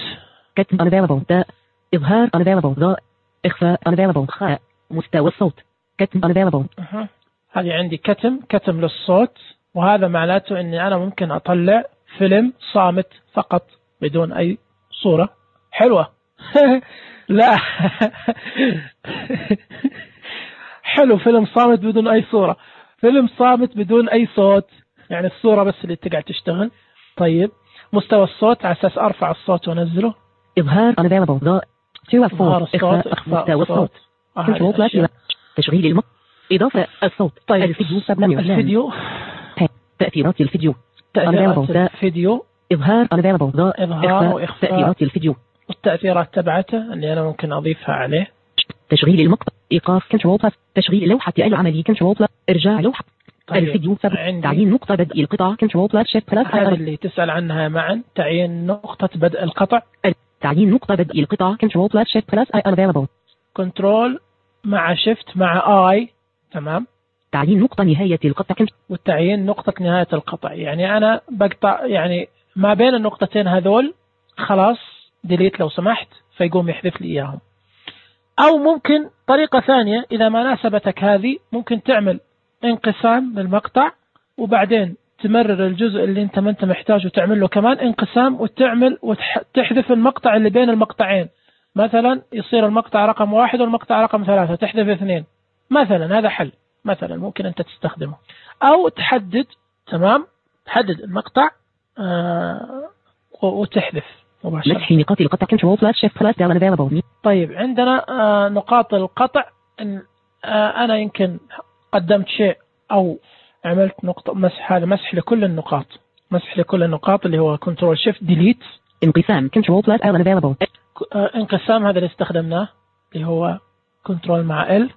كتم unavailable تاء إظهار unavailable ضاء إخفاء unavailable خاء مستوى الصوت كتم unavailable. أه. هذه عندي كتم كتم للصوت، وهذا معناته إني أنا ممكن أطلع فيلم صامت فقط بدون أي صورة. حلوة. لا حلو، فيلم صامت بدون أي صورة، فيلم صامت بدون أي صوت، يعني الصورة بس اللي تقعد تشتغل. طيب مستوى الصوت على أساس أرفع الصوت وأنزله. إظهار unavailable ضاء إظهار الصوت إخفاء مستوى الصوت. آه تشغيل المق إضافة الصوت. طيب الفيديو سبمنيو. الفيديو تأثيرات الفيديو. تأثيرات الفيديو. إظهار unavailable ضاء إظهار وإخفاء. تأثيرات الفيديو والتأثيرات تبعته اللي أنا ممكن أضيفها عليه. تشغيل المقطع إيقاف كنترول بلس. تشغيل لوحة العمل كنترول بلس. إرجاع لوحة. طيب. الفيديو سبب تعيين نقطة بدء القطع كنترول بلس شيفت بلس. هذا اللي تسأل عنها معا، تعيين نقطة بدء القطع. تعيين نقطة بدء القطع كنترول بلس شيفت بلس اي unavailable. كنترول مع شيفت مع اي. تمام. تعيين نقطة نهاية القطع. والتعيين نقطة نهاية القطع، يعني أنا بقطع يعني ما بين النقطتين هذول، خلاص ديليت لو سمحت، فيقوم يحذف لي إياهم. أو ممكن طريقة ثانية إذا ما ناسبتك هذه، ممكن تعمل انقسام للمقطع وبعدين تمرر الجزء اللي انت ما انت محتاجه وتعمل له كمان انقسام وتعمل وتحذف المقطع اللي بين المقطعين. مثلا يصير المقطع رقم واحد والمقطع رقم ثلاثة، تحذف اثنين مثلا. هذا حل مثلا ممكن انت تستخدمه. او تحدد، تمام، تحدد المقطع آه وتحذف مباشرة. مسح نقاط القطع كنترول بلس شيفت بلس داون افيلبل. طيب عندنا آه نقاط القطع. إن آه أنا يمكن قدمت شيء أو عملت نقطة مسح، هذا مسح لكل النقاط، مسح لكل النقاط اللي هو كنترول شيفت ديليت. انقسام كنترول بلس ال افيلبل. انقسام هذا اللي استخدمناه اللي هو كنترول مع ال.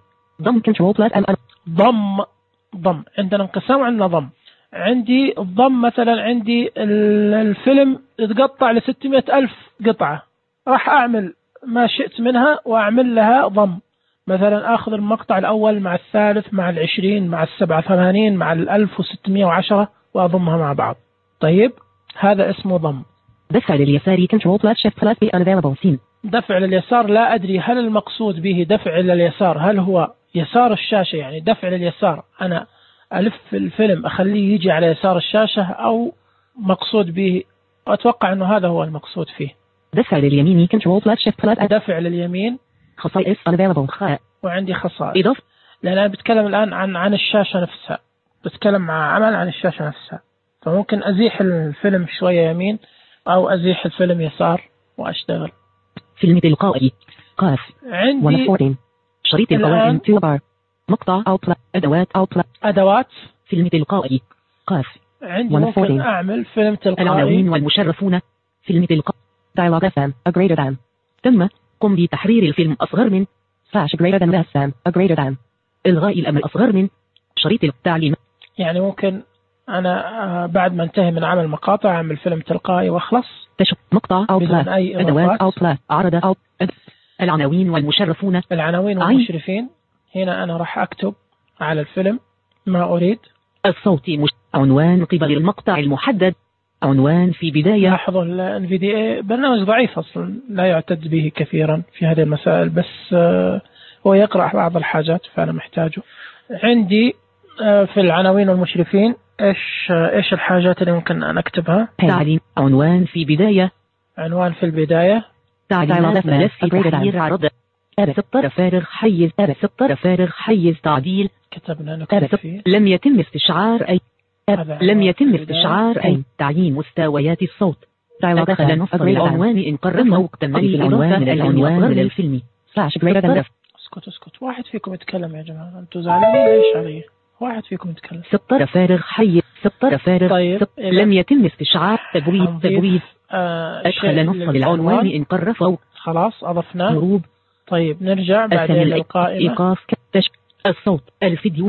ضم كنترول بلس ال. ضم ضم عندنا انقسام وعندنا ضم. عندي الضم مثلا عندي الفيلم يتقطع لستمائة ألف قطعة، راح أعمل ما شئت منها وأعمل لها ضم. مثلا أخذ المقطع الأول مع الثالث مع العشرين مع السبعة ثمانين مع الألف وستمائة وعشرة وأضمها مع بعض. طيب هذا اسمه ضم. دفع لليسار كنترول بلس شيفت بلس بي unavailable سين. دفع لليسار لا أدري هل المقصود به دفع لليسار هل هو يسار الشاشة، يعني دفع لليسار أنا ألف الفيلم أخليه يجي على يسار الشاشة، أو مقصود به، أتوقع أنه هذا هو المقصود فيه. دفع لليمين كنترول بلس شيفت بلس. دفع لليمين خصائص unavailable خاء. وعندي خصائص إضافة، لأن أنا بتكلم الآن عن عن الشاشة نفسها، بتكلم مع عمل عن الشاشة نفسها، فممكن أزيح الفيلم شوية يمين أو أزيح الفيلم يسار وأشتغل. فيلم تلقائي قاف. عندي شريط القوائم توبار مقطع أو بلا أدوات أو بلا أدوات. فيلم تلقائي قاف. عندي ممكن أعمل فيلم تلقائي. العناوين والمشرفون. فيلم تلقائي dialog اف ام a greater than. تم قم بتحرير الفيلم أصغر من slash greater than less than a greater than. إلغاء الأمر أصغر من. شريط التعليم، يعني ممكن أنا بعد ما انتهي من عمل مقاطع أعمل فيلم تلقائي وأخلص. تشوف مقطع أو بلا أدوات أو بلا عرض أو أد... العناوين والمشرفون. العناوين والمشرفين. هنا أنا راح أكتب على الفيلم ما أريد. الصوت مش... عنوان قبل المقطع المحدد. عنوان في بداية. لاحظوا ال في دي إيه برنامج ضعيف أصلا لا يعتد به كثيرا في هذه المسائل، بس هو يقرأ بعض الحاجات فأنا محتاجه. عندي في العناوين والمشرفين إيش إيش الحاجات اللي ممكن نكتبها؟ تعليم عنوان في بداية. عنوان في البداية. تعليمات ملف تحرير عرض. سطر فارغ حيز. سطر فارغ حيز تعديل. كتبنا نكتب فيه. لم يتم استشعار أي. لم يتم استشعار أي تعيين مستويات الصوت. دخل نص العنوان إن قررنا وقتمني العنوان من العنوان للفيلم. اسكت اسكت واحد فيكم يتكلم يا جماعة، أنتوا زعلانين ليش علي؟ واحد فيكم يتكلم. سطر فارغ حي. سطر فارغ. طيب. لم يتم استشعار تبويب تبويب. آه أدخل نص العنوان إن قرر. خلاص أضفنا. هروب. طيب نرجع بعدين للقائمة. إيقاف كتش الصوت الفيديو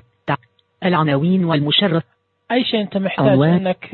العناوين والمشرف. أي شيء أنت محتاج عنوان. أنك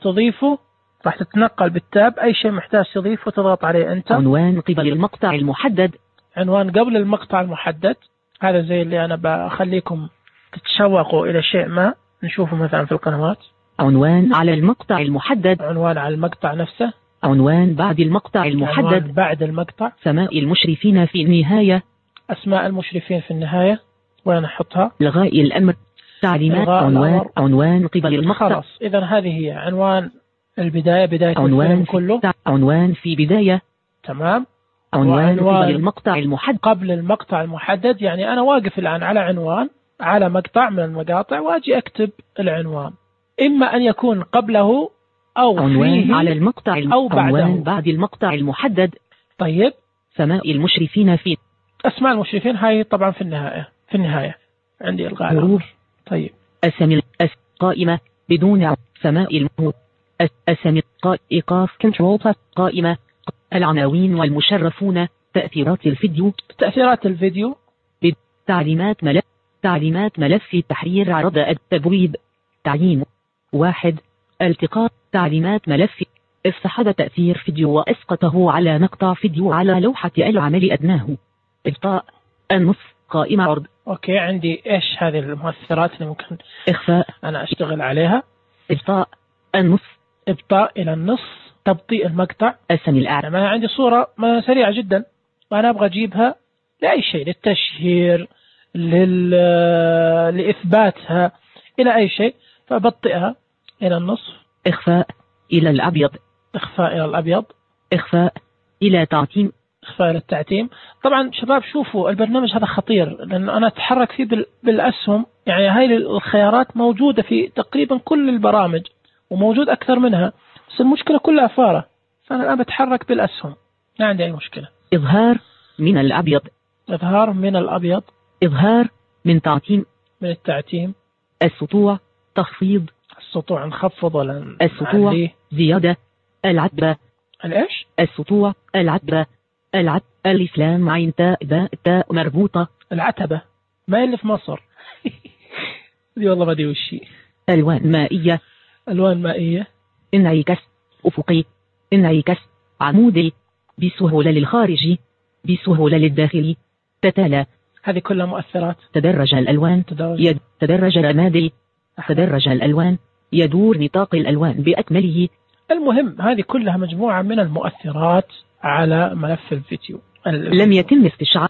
تضيفه راح تتنقل بالتاب. أي شيء محتاج تضيفه تضغط عليه أنت. عنوان قبل المقطع المحدد. عنوان قبل المقطع المحدد. هذا زي اللي أنا بخليكم تتشوقوا إلى شيء ما نشوفه مثلا في القنوات. عنوان على المقطع المحدد. عنوان على المقطع نفسه. عنوان بعد المقطع المحدد. عنوان بعد المقطع. سماء المشرفين في النهاية. أسماء المشرفين في النهاية وين أحطها؟ لغاء الأمر. تعليمات عنوان الأمر. عنوان قبل المقطع. خلاص إذا هذه هي عنوان البداية. بداية عنوان كله. عنوان في بداية. تمام. عنوان قبل المقطع المحدد. قبل المقطع المحدد يعني أنا واقف الآن على عنوان على مقطع من المقاطع وأجي أكتب العنوان، إما أن يكون قبله أو عنوان فيه على المقطع الم... أو بعده. عنوان بعد المقطع المحدد. طيب. سماء المشرفين في. أسماء المشرفين هاي طبعا في النهاية. في النهاية عندي إلغاء الأمر. طيب. أسامي أس... قائمة بدون ع... سماء الم... أس... أسامي قا... إيقاف كنترول بلس قائمة العناوين والمشرفون. تأثيرات الفيديو. تأثيرات الفيديو. تعليمات ملف. تعليمات ملف تحرير عرض التبويب. تعيين واحد. التقاط تعليمات ملف. افتح تأثير فيديو وأسقطه على مقطع فيديو على لوحة العمل أدناه. إبطاء النصف قائمة عرض. أوكي عندي إيش هذه المؤثرات اللي ممكن إخفاء أنا أشتغل عليها. إبطاء النصف. إبطاء إلى النصف. تبطيء المقطع. السمي الأعلى. أنا عندي صورة سريعة جدا وأنا أبغى أجيبها لأي شيء، للتشهير، لل... لإثباتها، إلى أي شيء، فبطئها إلى النصف. إخفاء إلى الأبيض. إخفاء إلى الأبيض. إخفاء إلى تعتيم. إخفاء إلى التعتيم. طبعا شباب شوفوا البرنامج هذا خطير لأن أنا أتحرك فيه بال... بالأسهم، يعني هاي الخيارات موجودة في تقريبا كل البرامج وموجود أكثر منها، بس المشكلة كلها فارة، فأنا الآن بتحرك بالأسهم ما عندي أي مشكلة. إظهار من الأبيض. إظهار من الأبيض. إظهار من تعتيم. من التعتيم. السطوع تخفيض. السطوع نخفض ولا السطوع نعليه؟ زيادة. العتبة. الإيش؟ السطوع العتبة. العتبة الإسلام عين تاء باء تاء مربوطة. العتبة ما اللي في مصر. دي والله ما دي وشي. ألوان مائية. ألوان مائية. انعكاس أفقي. انعكاس عمودي. بسهولة للخارجي. بسهولة للداخلي. تتالى. هذه كلها مؤثرات. تدرج الألوان. تدرج, يد... تدرج الرمادي. تدرج الألوان. يدور نطاق الألوان بأكمله. المهم هذه كلها مجموعة من المؤثرات على ملف الفيديو. لم يتم استشعار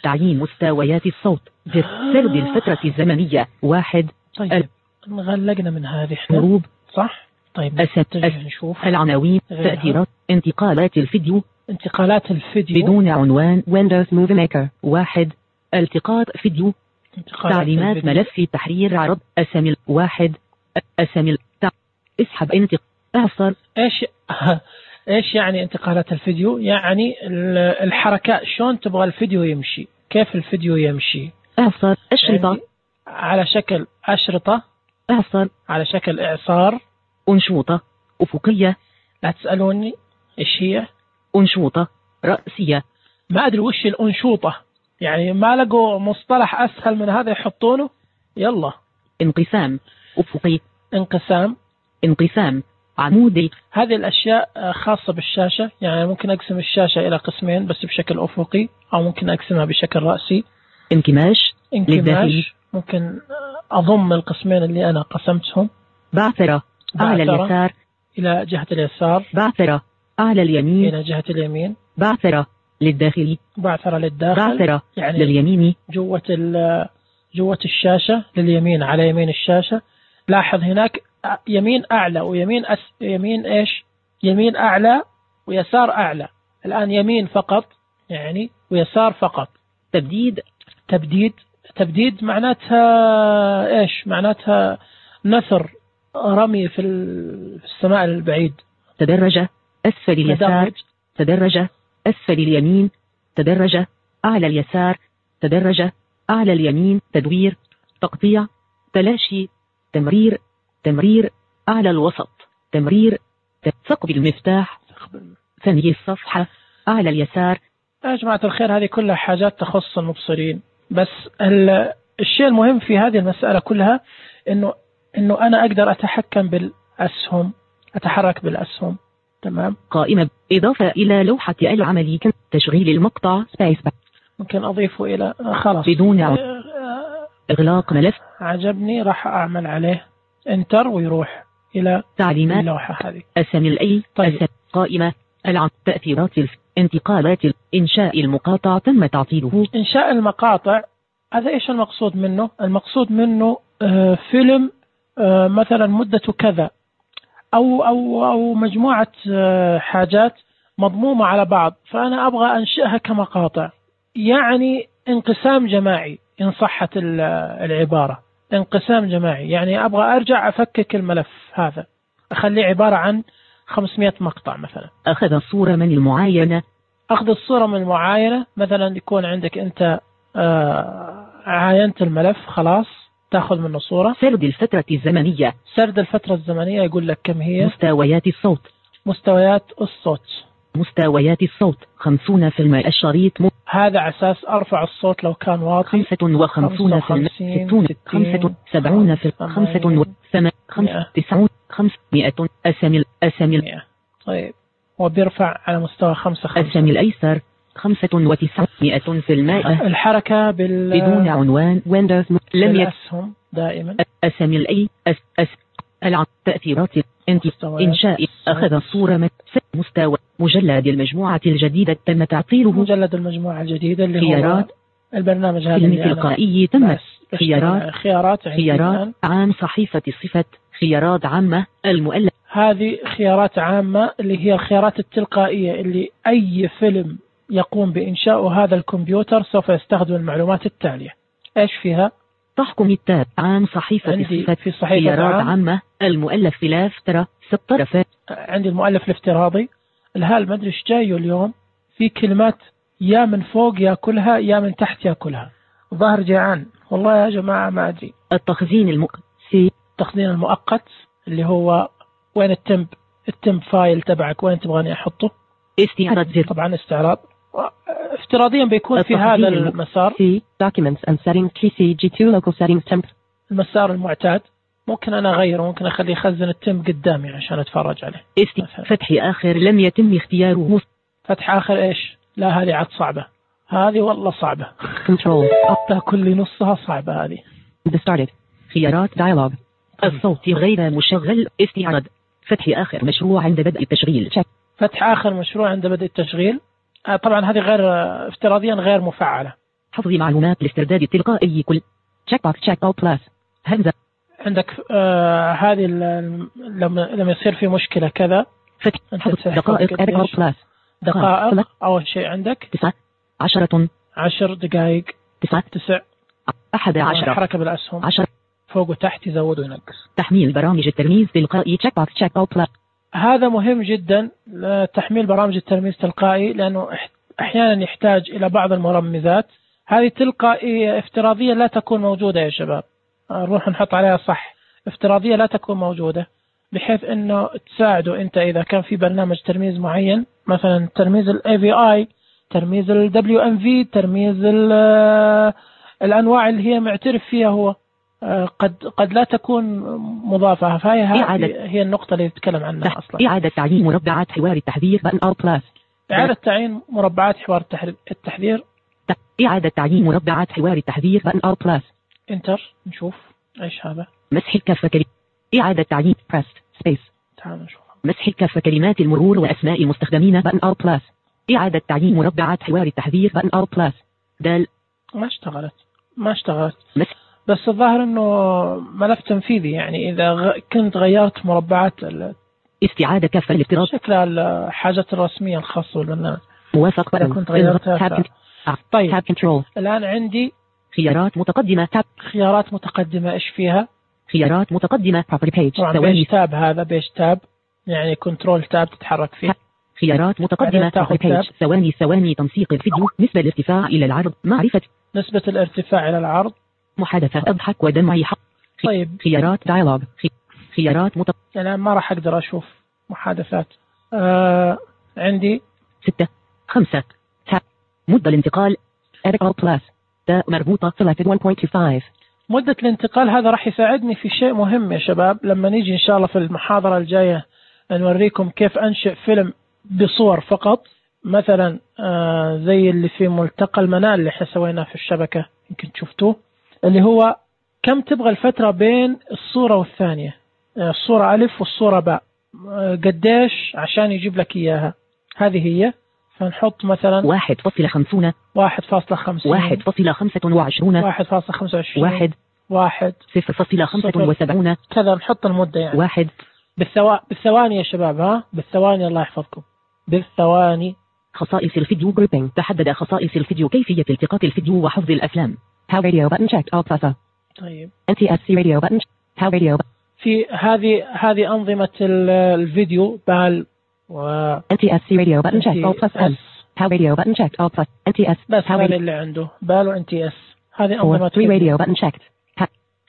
تعيين مستويات الصوت. زر سرد الفترة الزمنية واحد. طيب نغلقنا من هذه احنا. هروب. صح. طيب أس... نشوف العناوين. تأثيرات انتقالات الفيديو. انتقالات الفيديو بدون عنوان Windows Movie Maker واحد. التقاط فيديو. تعليمات الفيديو. ملف تحرير عرض. أسامي واحد. أسامي تع... اسحب انتق اعصر. ايش ايش يعني انتقالات الفيديو؟ يعني الحركات شلون تبغى الفيديو يمشي، كيف الفيديو يمشي. اعصر أشرطة. يعني على شكل أشرطة. اعصر على شكل إعصار. أنشوطة أفقية. لا تسألوني إيش هي. أنشوطة رأسية. ما أدري وش الأنشوطة، يعني ما لقوا مصطلح أسهل من هذا يحطونه. يلا. انقسام أفقي. انقسام. انقسام عمودي. هذه الأشياء خاصة بالشاشة، يعني ممكن أقسم الشاشة إلى قسمين بس بشكل أفقي، أو ممكن أقسمها بشكل رأسي. انكماش. انكماش ممكن أضم القسمين اللي أنا قسمتهم. بعثرة أعلى اليسار إلى جهة اليسار. بعثرة أعلى اليمين إلى جهة اليمين. بعثرة للداخلي. بعثرة للداخل. بعثرة يعني لليمين. جوة جوة الشاشة لليمين على يمين الشاشة. لاحظ هناك يمين أعلى ويمين أس يمين إيش يمين أعلى ويسار أعلى. الآن يمين فقط يعني ويسار فقط. تبديد تبديد تبديد معناتها إيش؟ معناتها نثر رمي في السماء البعيد. تدرج أسفل اليسار، تدرج أسفل اليمين، تدرج أعلى اليسار، تدرج أعلى اليمين. تدوير، تقطيع، تلاشي، تمرير، تمرير أعلى الوسط، تمرير، ثقب المفتاح، ثني الصفحة أعلى اليسار. يا جماعة الخير هذه كلها حاجات تخص المبصرين، بس الشيء المهم في هذه المسألة كلها إنه إنه أنا أقدر أتحكم بالأسهم، أتحرك بالأسهم. تمام. قائمة إضافة إلى لوحة العمل، تشغيل المقطع سبيس، ممكن أضيفه إلى خلاص بدون عد. إغلاق ملف عجبني راح أعمل عليه انتر ويروح إلى تعليمات اللوحة هذه. أسامي الأي طيب. أسامي قائمة العم تأثيرات الف... انتقالات إنشاء المقاطع تم تعطيله. إنشاء المقاطع هذا إيش المقصود منه؟ المقصود منه آه فيلم آه مثلا مدته كذا أو أو أو مجموعة آه حاجات مضمومة على بعض، فأنا أبغى أنشئها كمقاطع، يعني انقسام جماعي إن صحت العبارة. انقسام جماعي يعني أبغى أرجع أفكك الملف هذا أخليه عبارة عن خمسمائة مقطع مثلا. أخذ الصورة من المعاينة، أخذ الصورة من المعاينة مثلا يكون عندك أنت آه عاينت الملف خلاص تأخذ منه صورة. سرد الفترة الزمنية، سرد الفترة الزمنية يقول لك كم هي. مستويات الصوت، مستويات الصوت مستويات الصوت خمسون في المئة. الشريط م... هذا عساس أرفع الصوت لو كان واطي. خمسة وخمسون في المئة، ستون، خمسة سبعون في خمسة وثمان، خمسة تسعون، خمسمائة. أسامي أسامي. طيب وبيرفع على مستوى خمسة خمسة. أسامي الأيسر خمسة وتسعمائة في المئة. الحركة بال بدون عنوان ويندوز لم يسهم دائما. أسامي الأي أس أس العم تأثيرات إنشاء. أخذ الصورة من مستوى مجلد المجموعة الجديدة تم تعطيله. مجلد المجموعة الجديدة اللي خيارات هو البرنامج هذا فيلم تلقائي تم خيارات خيارات خيارات عام صحيفة صفة خيارات عامة المؤلف. هذه خيارات عامة اللي هي الخيارات التلقائية اللي أي فيلم يقوم بإنشاء هذا الكمبيوتر سوف يستخدم المعلومات التالية. إيش فيها؟ تحكم التاب عام صحيفة صفة في صحيفة خيارات عام. عامة المؤلف خلاف ترى ست طرفات. عندي المؤلف الافتراضي الهال ما أدري إيش جايه اليوم، في كلمات يا من فوق يأكلها يا من تحت يأكلها. ظهر جيعان والله يا جماعة ما أدري. التخزين المؤقت سي التخزين المؤقت اللي هو وين التمب التمب فايل تبعك وين تبغاني أحطه. استعراض زر طبعا استعراض افتراضيا بيكون في هذا المسار سي documents and settings تي سي جي تو local settings temp. المسار المعتاد ممكن أنا أغيره، ممكن أخليه يخزن التمب قدامي عشان أتفرج عليه. است... فتح آخر لم يتم اختياره. فتح آخر إيش؟ لا هذه عاد صعبة، هذه والله صعبة. كنترول أبدا كل نصها صعبة هذه. started خيارات dialog الصوت غير مشغل. استعراض فتح آخر مشروع عند بدء التشغيل. فتح آخر مشروع عند بدء التشغيل. آه طبعا هذه غير افتراضيا غير مفعلة. حفظ معلومات الاسترداد التلقائي كل check box check all plus همزة. عندك آه هذه لما لما يصير في مشكلة كذا فتح دقائق all plus دقائق أول شيء عندك تسعة عشرة عشر دقائق تسعة تسع أحد عشر. حركة بالأسهم عشر فوق وتحت يزود وينقص. تحميل برامج الترميز تلقائي check box check all plus. هذا مهم جدا تحميل برامج الترميز تلقائي لأنه أحيانا يحتاج إلى بعض المرمزات. هذه تلقائية افتراضية لا تكون موجودة يا شباب، نروح نحط عليها صح. افتراضية لا تكون موجودة بحيث أنه تساعده أنت إذا كان في برنامج ترميز معين مثلا ترميز ال إيه في آي، ترميز ال دبليو إم في، ترميز الأنواع اللي هي معترف فيها هو قد قد لا تكون مضافة. فهي هي النقطة اللي يتكلم عنها أصلا. إعادة تعيين مربعات حوار التحذير بutton all plus. إعادة تعيين مربعات حوار التحذير. إعادة تعيين مربعات حوار التحذير button all plus. انتر نشوف ايش هذا. مسح الكافة كلمات. إعادة تعيين press space. تعال نشوف. مسح الكافة كلمات المرور وأسماء المستخدمين button all plus. إعادة تعيين مربعات حوار التحذير button all plus. دال ما اشتغلت ما اشتغلت. مسح بس الظاهر انه ملف تنفيذي، يعني اذا غ... كنت غيرت مربعات ال... استعادة كافة الافتراض شكل الحاجات الرسمية الخاصة بالبرنامج. موافق إذا كنت غيرتها ف... طيب تاب كنترول. الآن عندي خيارات متقدمة تاب. خيارات متقدمة إيش فيها؟ خيارات متقدمة property page. طبعا بيج تاب، هذا بيج تاب يعني كنترول تاب تتحرك فيه. خيارات متقدمة property page. ثواني ثواني تنسيق الفيديو. نسبة الارتفاع إلى العرض. معرفة نسبة الارتفاع إلى العرض. محادثة أضحك ودمعي حق. طيب خيارات دايلوج. خيارات متق... الآن ما راح أقدر أشوف محادثات. آه... عندي ستة خمسة تاب. مدة الانتقال Edit Plus تاء مربوطة selected one point two five. مدة الانتقال هذا راح يساعدني في شيء مهم يا شباب، لما نيجي إن شاء الله في المحاضرة الجاية نوريكم كيف أنشئ فيلم بصور فقط، مثلا آه زي اللي في ملتقى المنال اللي احنا سويناه في الشبكة يمكن شفتوه، اللي هو كم تبغى الفترة بين الصورة والثانية، آه الصورة ألف والصورة باء، آه قديش عشان يجيب لك إياها. هذه هي، فنحط مثلا واحد فاصلة خمسون واحد فاصلة خمسين واحد فاصلة خمسة وعشرون واحد فاصلة خمسة وعشرين واحد واحد صفر فاصلة خمسة وسبعون كذا، نحط المدة يعني واحد بالثوا... بالثواني يا شباب، ها بالثواني الله يحفظكم بالثواني. خصائص الفيديو جروبينج. تحدد خصائص الفيديو كيفية التقاط الفيديو وحفظ الأفلام. How radio button checked all plus. طيب إن تي إس سي radio button. How radio في هذه هذه أنظمة الفيديو بال و إن تي إس سي radio button checked all plus. How radio button checked all plus. إن تي إس بس هذا اللي عنده بال و إن تي إس. هذه أنظمة three radio button checked.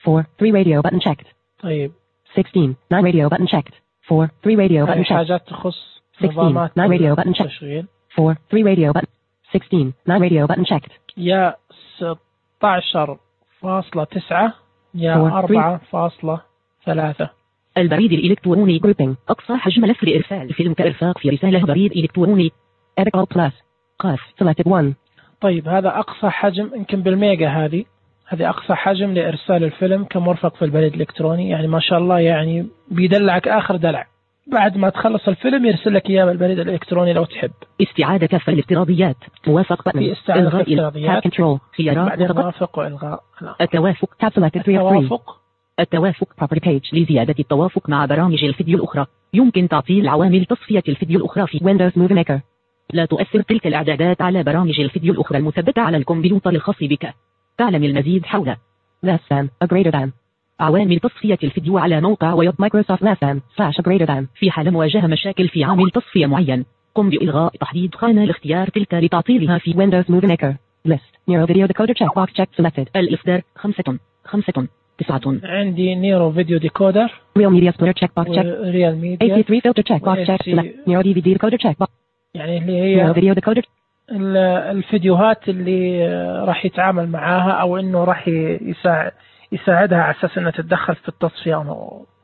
four three radio button checked. طيب sixteen nine radio button checked. four three radio button checked. حاجات تخص نظامات nine radio button checked. تشغيل. four three radio button. sixteen nine radio button checked. يا ستة عشر فاصلة تسعة يا أربعة فاصلة ثلاثة. البريد الإلكتروني جروبينج. أقصى حجم ملف لإرسال فيلم كإرفاق في رسالة بريد إلكتروني. Edit all plus. قاف selected one. طيب هذا أقصى حجم يمكن بالميجا، هذه هذه أقصى حجم لإرسال الفيلم كمرفق في البريد الإلكتروني، يعني ما شاء الله يعني بيدلعك آخر دلع، بعد ما تخلص الفيلم يرسل لك إياه بالبريد الإلكتروني لو تحب. استعادة كافة الافتراضيات. موافق بutton. في استعادة كافة الافتراضيات. كنترول. خيارات بعدين موافق وإلغاء. التوافق تاب selected three of three. التوافق التوافق property page. لزيادة التوافق مع برامج الفيديو الأخرى يمكن تعطيل عوامل تصفية الفيديو الأخرى في Windows Movie Maker. لا تؤثر تلك الإعدادات على برامج الفيديو الأخرى المثبتة على الكمبيوتر الخاص بك. تعلم المزيد حول less than a greater than. عوامل تصفية الفيديو على موقع ويب مايكروسوفت less than slash a greater than. في حال مواجهة مشاكل في عامل تصفية معين، قم بإلغاء تحديد خانة لاختيار تلك لتعطيلها في Windows Movie Maker. List Nero Video Decoder check box check selected. الإصدار خمسة خمسة تسعة. عندي نيرو فيديو ديكودر. Real Media Splitter check box check. Real Media. إيه سي ثري filter check box check select. Nero دي في دي decoder check box. يعني اللي هي Nero Video Decoder. الفيديوهات اللي راح يتعامل معاها أو إنه راح يساعد يساعدها على أساس إنها تتدخل في التصفية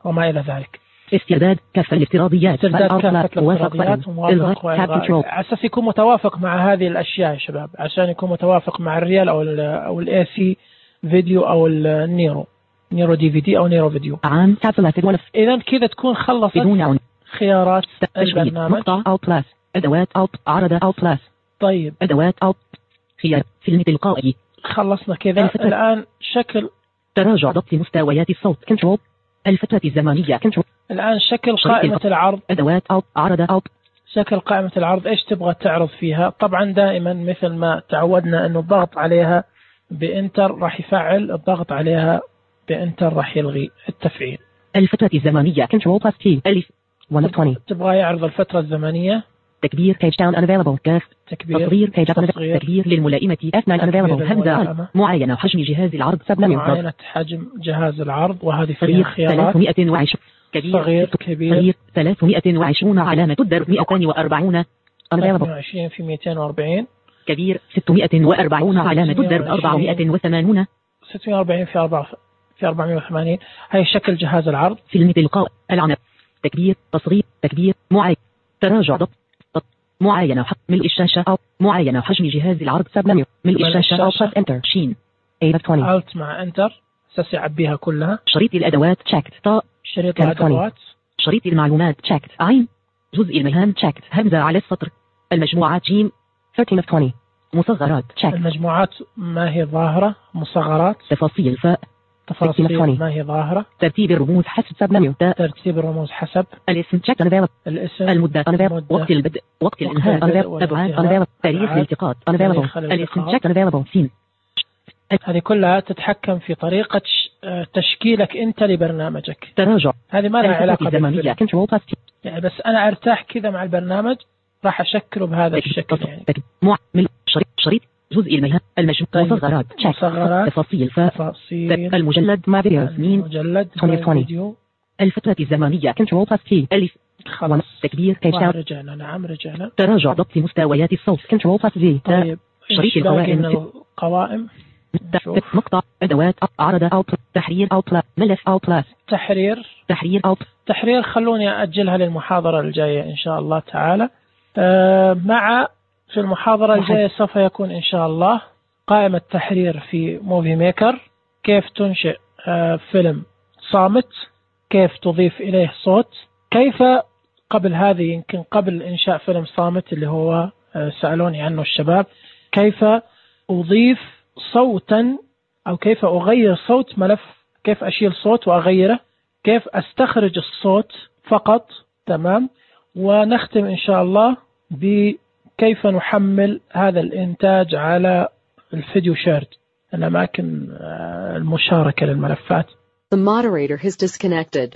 وما إلى ذلك. استعداد كافة الافتراضيات. استعداد كافة الافتراضيات وموافق وإلغاء على أساس يكون متوافق مع هذه الأشياء يا شباب، عشان يكون متوافق مع الريال أو ال أو الاي سي فيديو أو النيرو نيرو دي في دي أو نيرو فيديو. عام إذا كذا تكون خلصت خيارات البرنامج. مقطع أو بلس. أدوات أو عرض أو بلس. طيب أدوات أو خيار فيلم تلقائي. خلصنا كذا. الآن شكل تراجع ضبط مستويات الصوت كنترول. الفترة الزمنية كنترول. الآن شكل قائمة العرض. أدوات أو عرض أو شكل قائمة العرض إيش تبغى تعرض فيها. طبعا دائما مثل ما تعودنا إنه الضغط عليها بإنتر راح يفعل، الضغط عليها بإنتر راح يلغي التفعيل. الفترة الزمنية كنترول بلس تي ألف واحد وعشرين. تبغى يعرض الفترة الزمنية. تكبير page down unavailable كاف. تكبير تصغير page up تكبير للملائمة إف ناين unavailable همزة. معاينة حجم جهاز العرض سب منيو. معاينة حجم جهاز العرض وهذه فيها خيارات. ثلاثمائة وعشرين كبير صغير كبير. صغير ثلاثمائة وعشرين علامة الدرب مئتين وأربعين ثلاثمائة وعشرين في مئتين وأربعين. كبير ستمائة وأربعين علامة الدرب أربعمائة وثمانين. ستمائة وأربعين في أربعة في أربعمائة وثمانين. هاي شكل جهاز العرض. فيلم تلقاء العنب. تكبير تصغير تكبير معاينة تراجع ضبط معاينة ملء الشاشة أو معاينة حجم جهاز العرض سب منيو. ملء الشاشة أو بلس انتر شين Alt مع انتر أساس يعبيها كلها. شريط الأدوات checked طاء. شريط الأدوات. شريط المعلومات checked عين. جزء المهام checked همزة على السطر. المجموعات جيم ثلاثة of عشرين. مصغرات checked. المجموعات ما هي ظاهرة. مصغرات. تفاصيل فاء تفاصيل ما هي ظاهرة. ترتيب الرموز حسب سب منيو. ترتيب الرموز حسب الاسم check unavailable. الاسم المدة unavailable. وقت البدء وقت الانتهاء unavailable. أبعاد unavailable. تاريخ الالتقاط unavailable. الاسم check unavailable. سين. هذه كلها تتحكم في طريقة تشكيلك أنت لبرنامجك. تراجع هذه ما لها علاقة بالزمنية. كنترول بلس تي. يعني بس أنا أرتاح كذا مع البرنامج راح أشكله بهذا الشكل يعني. معمل شريط شريط جزء المهام المجموع. طيب. مصغرات مصغرات تفاصيل تفاصيل المجلد مع فيديو مين مجلد فيديو. الفترة الزمنية كنترول بلس تي. ألف خلاص تكبير كيشاوت. رجعنا نعم رجعنا. تراجع ضبط مستويات الصوت كنترول بلس زي. طيب شريط القوائم. القوائم نقطة أدوات عرض أو تحرير أو بلا ملف أو بلاس. تحرير تحرير أو تحرير خلوني أجلها للمحاضرة الجاية إن شاء الله تعالى. أه مع في المحاضرة الجاية سوف يكون إن شاء الله قائمة تحرير في موفي ميكر، كيف تنشئ أه فيلم صامت، كيف تضيف إليه صوت، كيف قبل هذه يمكن قبل إنشاء فيلم صامت اللي هو أه سألوني عنه الشباب، كيف أضيف صوتا أو كيف أغير صوت ملف، كيف أشيل صوت وأغيره، كيف أستخرج الصوت فقط. تمام. ونختم إن شاء الله بكيف نحمل هذا الإنتاج على الفيديو شيرد، الأماكن المشاركة للملفات. The moderator has disconnected.